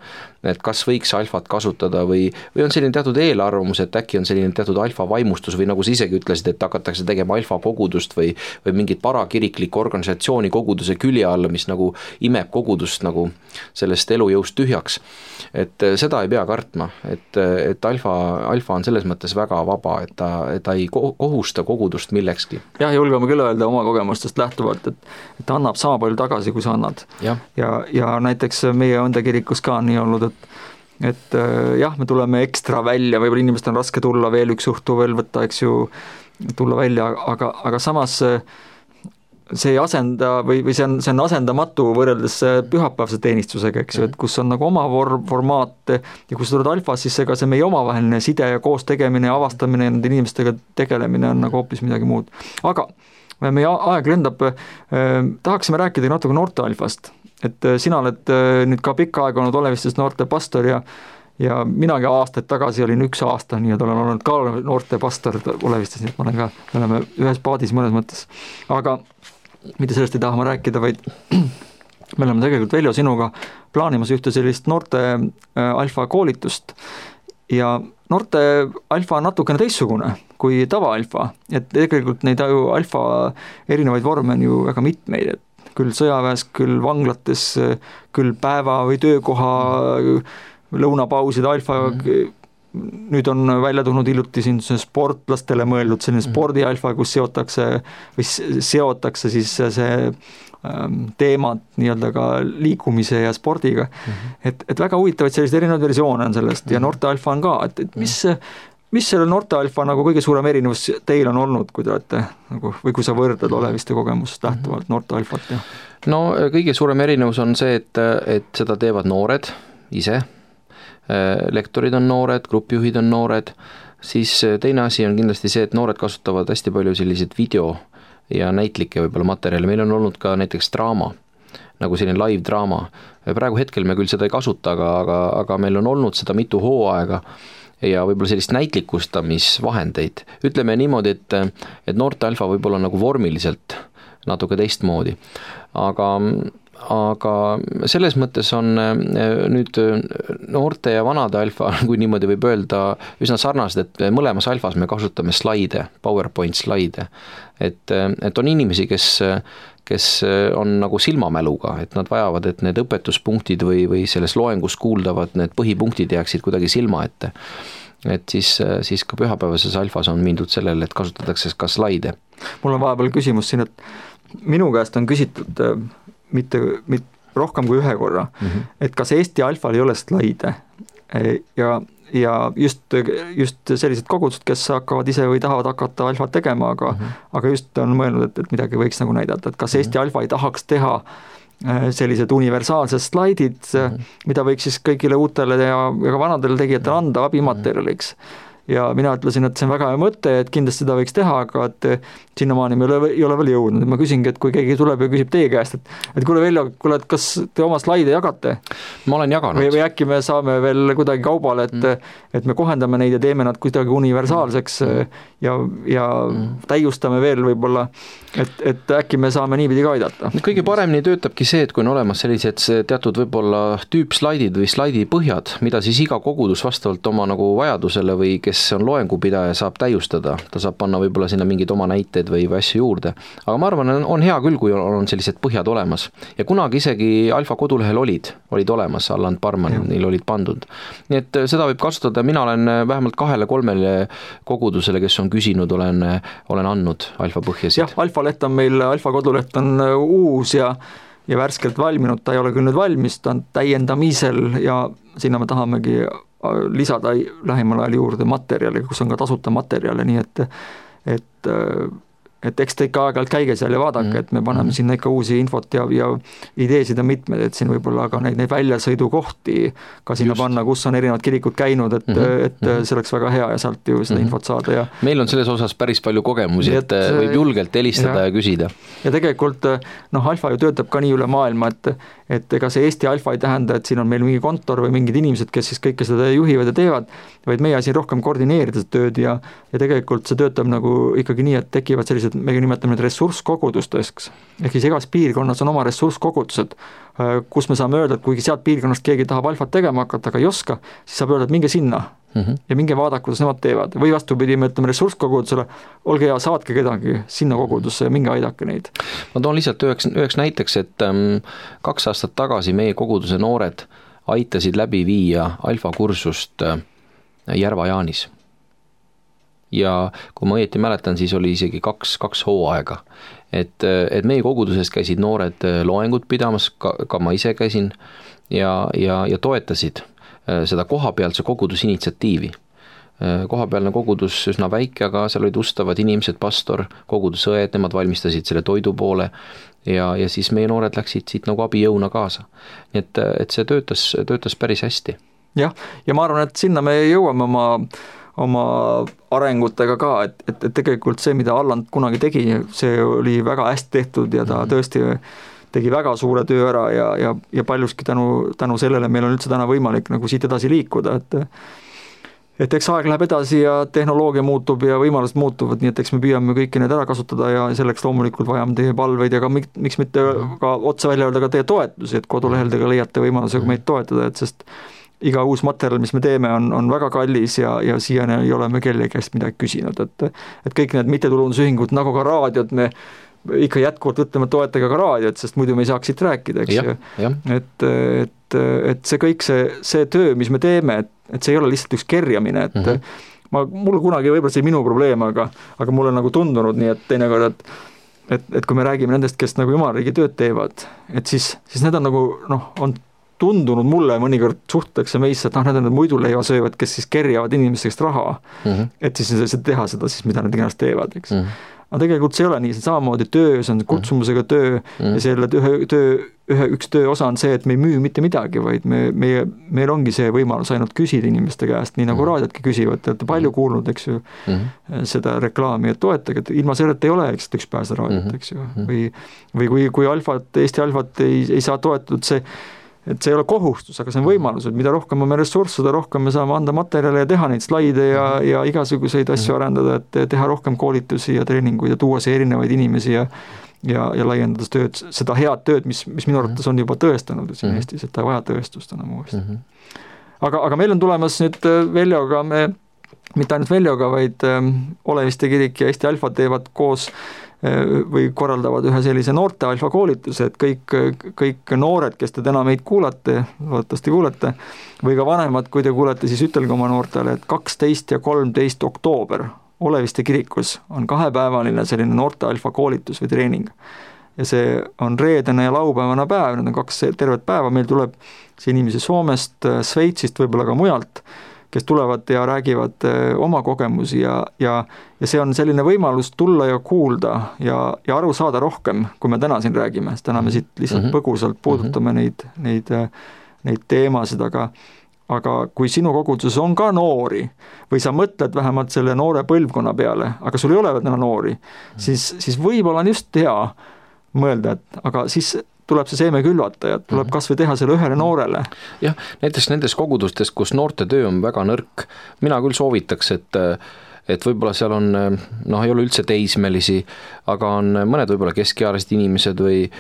et kas võiks alfat kasutada või on selline teatud eelarvamus, et äkki on selline teatud alfa vaimustus või nagu sa isegi ütlesid, et hakatakse tegema alfa kogudust või mingit parakiriklikku organisatsiooni koguduse külje alla, mis nagu imeb kogudust nagu sellest elujõust tühjaks. Et seda ei pea kartma, et alfa on selles mõttes väga vaba, et ta ei kohusta kogudust millekski. Jah, julgeme küll öelda oma kogemustest lähtuvalt, et ta annab sama palju tagasi, kui sa annad. Ja näiteks meie õndekirikus ka nii olnud, et jah, me tuleme ekstra välja, võib-olla inimestel on raske tulla veel üks õhtu veel võtta, eks ju, tulla välja, aga samas see ei asenda või see on asendamatu võrreldes pühapäevase teenistusega, eks ju, et kus on nagu oma formaat ja kui sa tuled alfas, siis ega see meie omavaheline side ja koos tegemine ja avastamine ja nende inimestega tegelemine on nagu hoopis midagi muud. Aga meie aeg lendab, tahaksime rääkida natuke noorte alfast, et sina oled nüüd ka pikka aega olnud Olevistes noorte pastor ja minagi aastaid tagasi olin 1 aasta, nii et olen olnud ka noorte pastor Olevistes, nii et me oleme ühes paadis mõnes mõttes. Aga mitte sellest ei taha ma rääkida, vaid me oleme tegelikult Veljo sinuga plaanimas ühte sellist noorte alfa koolitust ja noorte alfa on natukene teistsugune kui tava alfa, et tegelikult neid alfa erinevaid vorme on ju väga mitmeid, et küll sõjaväes, küll vanglates, küll päeva või töökoha lõunapauside alfa nüüd on välja tulnud hiljuti siin sportlastele mõeldud selline spordialfa, kus seotakse siis see teemad nii-öelda ka liikumise ja spordiga. Et väga huvitavaid selliseid erinevaid versioone on sellest ja noorte alfa on ka, et mis selle noorte alfa nagu kõige suurem erinevus teil on olnud, kui te olete nagu, või kui sa võrdled Oleviste kogemusest lähtuvalt noorte alfat? No kõige suurem erinevus on see, et seda teevad noored ise, lektorid on noored, grupijuhid on noored, siis teine asi on kindlasti see, et noored kasutavad hästi palju selliseid video ja näitlikke võib-olla materjali, meil on olnud ka näiteks draama, nagu selline live draama, praegu hetkel me küll seda ei kasuta, aga meil on olnud seda mitu hooaega ja võib-olla sellist näitlikustamisvahendeid, ütleme niimoodi, et noorte alfa võib-olla nagu vormiliselt natuke teistmoodi, aga selles mõttes on nüüd noorte ja vanade alfa, kui niimoodi võib öelda, üsna sarnased, et mõlemas alfas me kasutame slaide, PowerPoint slaide, et on inimesi, kes on nagu silmamäluga, et nad vajavad, et need õpetuspunktid või selles loengus kuuldavad, need põhipunktid jääksid kuidagi silma ette. Et siis ka pühapäevases alfas on mindud sellele, et kasutatakse ka slaide. Mul on vahepeal küsimus siin, et minu käest on küsitud mitte rohkem kui 1 korra, et kas Eesti alfal ei ole slaide ja just sellised kogudused, kes hakkavad ise või tahavad hakata alfat tegema, aga just on mõelnud, et midagi võiks nagu näidata, et kas Eesti alfa ei tahaks teha sellised universaalsed slaidid, mida võiks siis kõigile uutele ja ka vanadele tegijatele anda abimaterjaliks. Ja mina ütlesin, et see on väga hea mõte, et kindlasti seda võiks teha, aga et sinnamaani me ei ole veel jõudnud. Ma küsingi, et kui keegi tuleb ja küsib teie käest, et kuule Veljo, et kas te oma slaide jagate? Ma olen jaganud. Või äkki me saame veel kuidagi kaubale, et me kohendame neid ja teeme nad kuidagi universaalseks ja täiustame veel võib-olla, et äkki me saame niipidi ka aidata. Kõige paremini töötabki see, et kui on olemas sellised teatud võib-olla tüüpslaidid või slaidipõhjad, mida siis iga kogudus vastavalt oma nagu vajadusele või kes on loengupidaja, saab täiustada. Ta saab panna võib-olla sinna mingid oma näited või asju juurde. Aga ma arvan, on hea küll, kui on sellised põhjad olemas. Ja kunagi isegi alfa kodulehel olid olemas, Allan Parman, neil olid pandud. Nii et seda võib kasutada, mina olen vähemalt 2-3 kogudusele, kes on küsinud, olen andnud alfa põhjasid. Jah, alfa leht on meil, alfa koduleht on uus ja värskelt valminud, ta ei ole küll nüüd valmis, ta on täiendamisel ja sinna me tahamegi lisada lähimal ajal juurde materjali, kus on ka tasuta materjale, nii et eks te ikka aeg-ajalt käige seal ja vaadake, et me paneme sinna ikka uusi infot ja ideesid on mitmed, et siin võib-olla ka neid väljasõidukohti ka sinna panna, kus on erinevad kirikud käinud, et see oleks väga hea ja sealt ju seda infot saada. Ja meil on selles osas päris palju kogemusi, et võib julgelt helistada ja küsida. Ja tegelikult alfa ju töötab ka nii üle maailma, et ega see Eesti alfa ei tähenda, et siin on meil mingi kontor või mingid inimesed, kes siis kõike seda juhivad ja teevad, vaid meie siin rohkem koordineerida seda tööd ja tegelikult see töötab nagu ikkagi nii, et tekivad sellised, me nimetame need ressurskogudusteks, ehk siis igas piirkonnas on oma ressurskogudused, kus me saame öelda, et kuigi sealt piirkonnast keegi tahab alfat tegema hakata, aga ei oska, siis saab öelda, et minge sinna ja minge vaadake, kuidas nemad teevad. Või vastupidi, me ütleme ressurskogudusele, olge hea, saatke kedagi sinna kogudusse ja minge aidake neid. Ma toon lihtsalt üheks näiteks, et 2 aastat tagasi meie koguduse noored aitasid läbi viia alfakursust Järva-Jaanis. Ja kui ma õieti mäletan, siis oli isegi 2 hooaega. Et meie koguduses käisid noored loengut pidamas, ka ma ise käisin ja toetasid seda kohapealse kogudusinitsiatiivi. kohapealne kogudus üsna väike, aga seal olid ustavad inimesed, pastor, kogudusõed, nemad valmistasid selle toidu poole ja siis meie noored läksid siit nagu abijõuna kaasa. Nii et see töötas päris hästi. Jah, ja ma arvan, et sinna me jõuame oma arengutega ka, et tegelikult see, mida Alland kunagi tegi, see oli väga hästi tehtud ja ta tõesti tegi väga suure töö ära ja paljuski tänu sellele meil on üldse täna võimalik nagu siit edasi liikuda, et eks aeg läheb edasi ja tehnoloogia muutub ja võimalused muutuvad, nii et eks me püüame kõiki need ära kasutada ja selleks loomulikult vajame teie palveid ja ka miks mitte ka otse välja öelda ka teie toetusi, et koduleheldega leiate võimalusega meid toetada, et sest iga uus materjal, mis me teeme, on väga kallis ja siiani ei ole me kellegi käest midagi küsinud, et kõik need mittetulundusühingud nagu ka raadiod, me ikka jätkuvalt ütleme toetage ka raadiot, sest muidu me ei saaks siit rääkida, eks ju. Et see kõik see töö, mis me teeme, et see ei ole lihtsalt üks kerjamine, et mul kunagi võib-olla see minu probleem, aga mulle nagu tundunud nii, et teinekord, et kui me räägime nendest, kes nagu jumalariigi tööd teevad, et siis need on nagu, on tundunud mulle mõnikord suhtakse meisse, et need on need muiduleiva söövad, kes siis kerjavad inimestest raha, et siis teha seda siis, mida nad iganes teevad, eks. Aga tegelikult see ei ole nii, see samamoodi töö, see on kutsumusega töö ja selle üks töö osa on see, et me ei müü mitte midagi, vaid meil ongi see võimalus ainult küsida inimeste käest, nii nagu raadiotki küsivad, te olete palju kuulnud, eks ju, seda reklaami, et toetage, et ilma sellelt ei ole, eks, üks pääse raadiot, eks ju, või kui Eesti Alfat ei saa toetatud, et see ei ole kohustus, aga see on võimalus, et mida rohkem on ressurss, seda rohkem me saame anda materjale ja teha neid slaide ja igasuguseid asju arendada, et teha rohkem koolitusi ja treeninguid ja tuua see erinevaid inimesi ja laiendada tööd, seda head tööd, mis minu arvates on juba tõestanud siin Eestis, et ta ei vaja tõestust enam uuesti. Aga meil on tulemas nüüd Veljoga, mitte ainult Veljoga, vaid Oleviste kirik ja Eesti Alfa teevad koos või korraldavad ühe sellise noorte alfa koolituse, et kõik noored, kes te täna meid kuulate, loodetavasti kuulete, või ka vanemad, kui te kuulete, siis ütelge oma noortele, et 12 ja 13 oktoober Oleviste kirikus on 2-päevaline selline noorte alfa koolitus või treening. Ja see on reedene ja laupäevane päev, need on 2 tervet päeva, meil tuleb see inimesi Soomest, Sveitsist, võib-olla ka mujalt, kes tulevad ja räägivad oma kogemusi ja see on selline võimalus tulla ja kuulda ja aru saada rohkem, kui me täna siin räägime, sest täna me siit lihtsalt põgusalt puudutame neid teemasid, aga kui sinu koguduses on ka noori või sa mõtled vähemalt selle noore põlvkonna peale, aga sul ei ole täna noori, siis võib-olla on just hea mõelda, et aga siis tuleb see seeme külvata ja tuleb kas või teha selle ühele noorele. Jah, näiteks nendes kogudustes, kus noorte töö on väga nõrk, mina küll soovitaks, et võib-olla seal on, ei ole üldse teismelisi, aga on mõned võib-olla keskealised inimesed või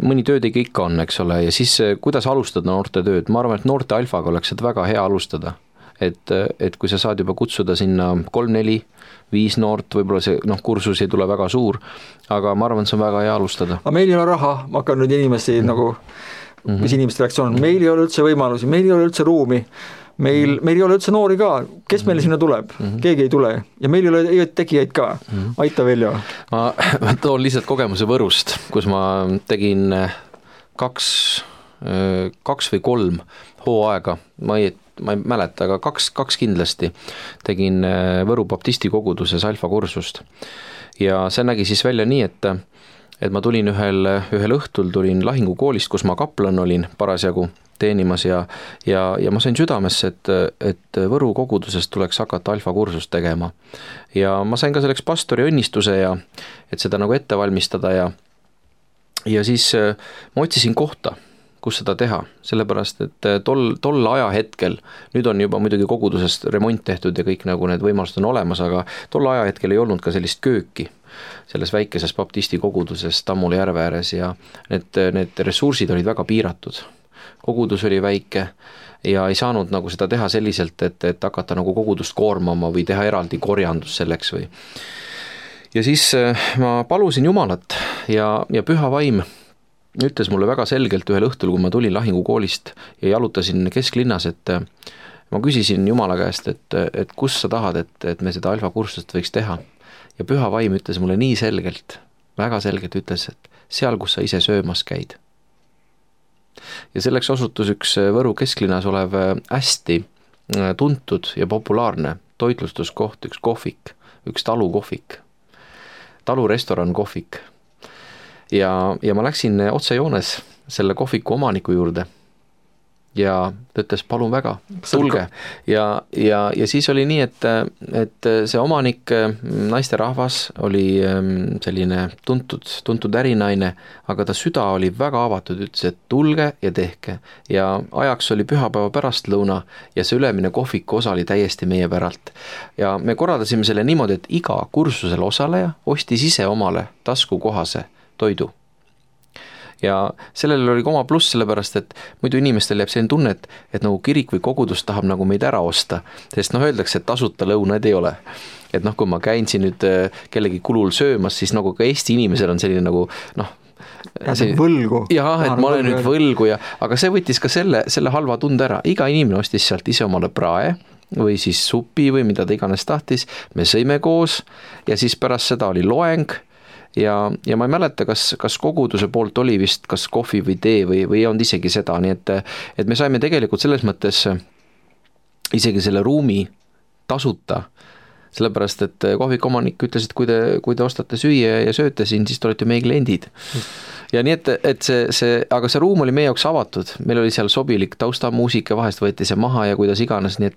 mõni töötegi ikka on, eks ole, ja siis kuidas alustada noorte tööd, ma arvan, et noorte alfaga oleks seda väga hea alustada, et kui sa saad juba kutsuda sinna 3-4 5 noort, võib-olla see kursus ei tule väga suur, aga ma arvan, et see on väga hea alustada. Aga meil ei ole raha, ma hakkan nüüd inimesi mis inimeste reaktsioon, meil ei ole üldse võimalusi, meil ei ole üldse ruumi, meil ei ole üldse noori ka, kes meile sinna tuleb, keegi ei tule ja meil ei ole tegijaid ka, aita Veljo. Ma toon lihtsalt kogemuse Võrust, kus ma tegin 2 või 3 hooaega, ma ei mäleta, aga 2 kindlasti tegin Võru baptisti koguduses alfa kursust ja see nägi siis välja nii, et ma tulin ühel õhtul tulin lahingukoolist, kus ma kaplan olin parasjagu teenimas ja ma sain südamesse, et Võru koguduses tuleks hakata alfa kursust tegema ja ma sain ka selleks pastori õnnistuse ja et seda nagu ette valmistada ja siis ma otsisin kohta, kus seda teha, sellepärast, et tol ajahetkel, nüüd on juba muidugi kogudusest remont tehtud ja kõik nagu need võimalused on olemas, aga tol ajahetkel ei olnud ka sellist kööki selles väikeses baptisti koguduses Tammula järve ääres ja need ressursid olid väga piiratud. Kogudus oli väike ja ei saanud nagu seda teha selliselt, et hakata nagu kogudust koormama või teha eraldi korjandus selleks või. Ja siis ma palusin Jumalat ja Püha Vaim ütles mulle väga selgelt ühel õhtul, kui ma tulin lahingukoolist ja jalutasin kesklinnas, et ma küsisin Jumala käest, et kus sa tahad, et me seda alfa kursust võiks teha. Ja Püha Vaim ütles mulle nii selgelt, väga selgelt ütles, et seal, kus sa ise söömas käid. Ja selleks osutus üks Võru kesklinnas olev hästi tuntud ja populaarne toitlustuskoht, üks kohvik, üks talukohvik, talurestoran kohvik. Ja ma läksin otsejoones selle kohviku omaniku juurde ja ta ütles, palun väga, tulge. Ja siis oli nii, et see omanik, naisterahvas, oli selline tuntud ärinaine, aga ta süda oli väga avatud, ütles, et tulge ja tehke. Ja ajaks oli pühapäeva pärastlõuna ja see ülemine kohviku osa oli täiesti meie päralt. Ja me korraldasime selle niimoodi, et iga kursusel osaleja ostis ise omale taskukohase toidu. Ja sellel oli oma pluss sellepärast, et muidu inimestel jääb selline tunne, et nagu kirik või kogudus tahab nagu meid ära osta, sest öeldakse, et tasuta lõunaid ei ole. Et kui ma käin siin nüüd kellegi kulul söömas, siis nagu ka Eesti inimesel on selline nagu võlgu. Jah, et ma olen nüüd võlgu, aga see võttis ka selle halva tunde ära. Iga inimene ostis sealt ise omale prae või siis supi või mida ta iganes tahtis. Me sõime koos ja siis pärast seda oli loeng. Ja ma ei mäleta, kas koguduse poolt oli vist kas kohvi või tee või ei olnud isegi seda, nii et me saime tegelikult selles mõttes isegi selle ruumi tasuta, sellepärast et kohviku omanik ütles, et kui te ostate süüa ja sööte siin, siis te olete meie kliendid. Ja nii, et aga see ruum oli meie jaoks avatud, meil oli seal sobilik taustamuusika, vahest võeti see maha ja kuidas iganes, nii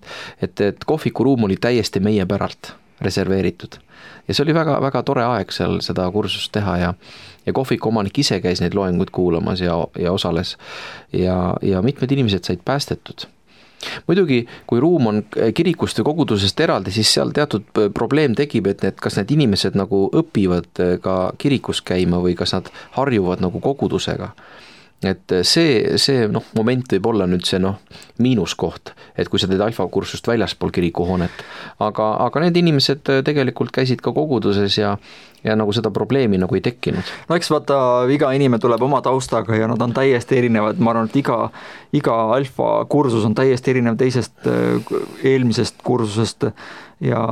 et kohviku ruum oli täiesti meie päralt reserveeritud. Ja see oli väga, väga tore aeg seal seda kursust teha ja kohviku omanik ise käis neid loenguid kuulamas ja osales ja mitmed inimesed said päästetud. Muidugi, kui ruum on kirikust ja kogudusest eraldi, siis seal teatud probleem tekib, et kas need inimesed nagu õpivad ka kirikus käima või kas nad harjuvad nagu kogudusega. Et see moment võib olla nüüd see miinuskoht, et kui sa teed alfakursust väljaspool kirikuhoonet, aga need inimesed tegelikult käisid ka koguduses ja nagu seda probleemi nagu ei tekkinud. No eks vaata, iga inimene tuleb oma taustaga ja nad on täiesti erinevad, ma arvan, et iga alfakursus on täiesti erinev teisest eelmisest kursusest ja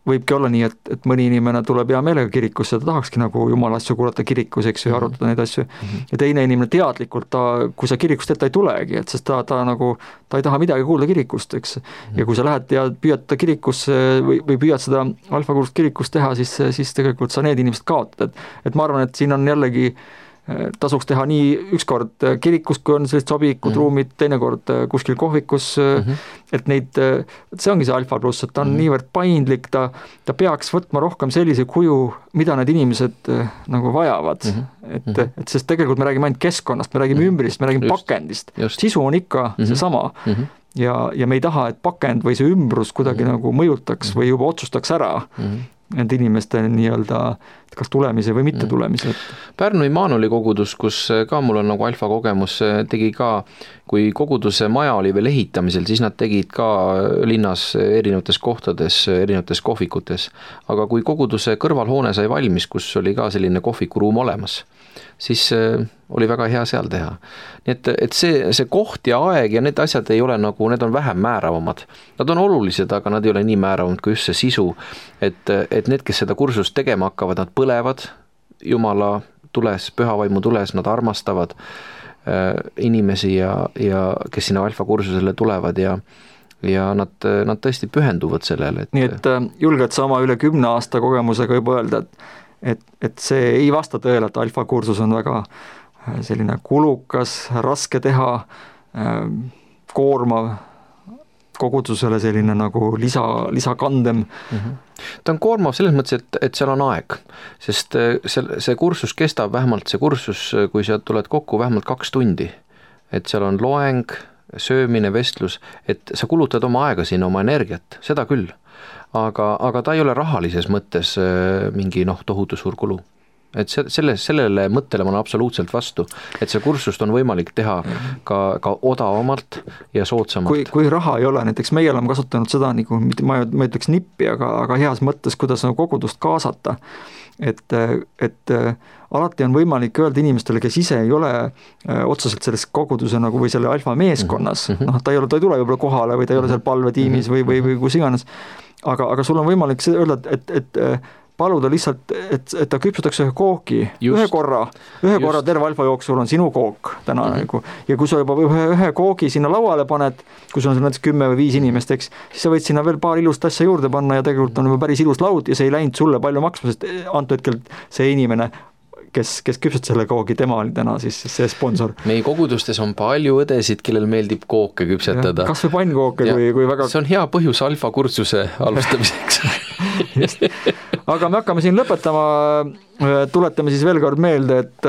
võibki olla nii, et mõni inimene tuleb hea meelega kirikusse, ta tahakski nagu jumala asju kuulata kirikus, eks ju, arutada neid asju. Ja teine inimene teadlikult, kui sa kirikust ta ei tulegi, et sest ta ei taha midagi kuulda kirikust, eks. Ja kui sa lähed ja püüad kirikusse või püüad seda alfakursust kirikust teha, siis tegelikult sa need inimesed kaotad. Et ma arvan, et siin on jällegi tasuks teha nii ükskord kirikus, kui on sellised sobilikud ruumid, teinekord kuskil kohvikus, et see ongi see alfa pluss, et ta on niivõrd paindlik, ta peaks võtma rohkem sellise kuju, mida need inimesed nagu vajavad. Et sest tegelikult me räägime ainult keskkonnast, me räägime ümbrist, me räägime pakendist. Sisu on ikka seesama. Ja me ei taha, et pakend või see ümbrus kuidagi nagu mõjutaks või juba otsustaks ära need inimeste nii-öelda kas tulemise või mitte tulemise. Pärnu Immanueli kogudus, kus ka mul on nagu alfa kogemus, tegi ka, kui koguduse maja oli veel ehitamisel, siis nad tegid ka linnas erinevates kohtades, erinevates kohvikutes. Aga kui koguduse kõrvalhoone sai valmis, kus oli ka selline kohvikuruum olemas, siis oli väga hea seal teha. Nii et see koht ja aeg ja need asjad ei ole nagu, need on vähem määravamad. Nad on olulised, aga nad ei ole nii määravamad kui just see sisu, et need, kes seda kursust tegema hakkavad, nad põlevad Jumala tules, pühavaimu tules, nad armastavad inimesi ja kes sinna alfa kursusele tulevad ja nad tõesti pühenduvad sellele. Nii et julged sa oma üle 10 aasta kogemusega juba öelda, et see ei vasta tõele, et alfa kursus on väga selline kulukas, raske teha, koormav, kogudusele selline nagu lisakandem. Ta on koormav selles mõttes, et seal on aeg, sest see kursus kestab vähemalt see kursus, kui sa tuled kokku vähemalt 2 tundi, et seal on loeng, söömine, vestlus, et sa kulutad oma aega sinna, oma energiat, seda küll, aga ta ei ole rahalises mõttes mingi tohutu suur kulu. Et sellele mõttele ma olen absoluutselt vastu, et see kursust on võimalik teha ka odavamalt ja soodsamalt. Kui raha ei ole, näiteks meie oleme kasutanud seda, nagu, ma ütleks nippi, aga heas mõttes, kuidas kogudust kaasata, et alati on võimalik öelda inimestele, kes ise ei ole otseselt selles koguduse nagu või selle alfa meeskonnas, ta ei tule võib-olla kohale või ta ei ole seal palvetiimis või kus iganes, aga sul on võimalik öelda, et paluda lihtsalt, et ta küpsutaks ühe koogi, ühe korra terve alfa jooksul on sinu kook täna nagu. Ja kui sa juba ühe koogi sinna lauale paned, kui sul on näiteks 10 või 5 inimest, eks, siis sa võid sinna veel paar ilust asja juurde panna ja tegelikult on juba päris ilus laud ja see ei läinud sulle palju maksma, sest antud hetkel see inimene, kes küpsut selle koogi, tema oli täna siis see sponsor. Meie kogudustes on palju õdesid, kellel meeldib kooke küpsetada. Kas või pannkooke, kui väga... See on hea põhjus alfa kursuse alustamiseks. Just. Aga me hakkame siin lõpetama, tuletame siis veel kord meelde, et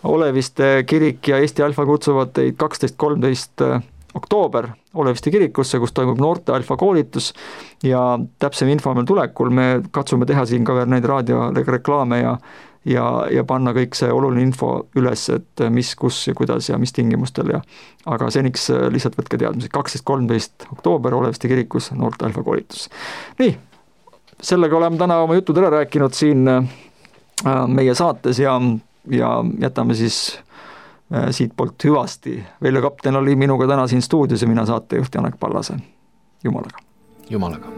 Oleviste kirik ja Eesti Alfa kutsuvad teid 12.13. oktoober Oleviste kirikusse, kus toimub noorte alfa koolitus ja täpsem info meil tulekul, me katsume teha siin ka veel neid raadioreklaame ja panna kõik see oluline info üles, et mis, kus ja kuidas ja mis tingimustel aga seniks lihtsalt võtke teadmised, 12.13. oktoober Oleviste kirikus noorte alfa koolitus. Nii, sellega oleme täna oma jutud ära rääkinud siin meie saates ja jätame siis siit poolt hüvasti. Veljo Kapten oli minuga täna siin stuudios ja mina saatejuht Janek Pallase. Jumalaga. Jumalaga.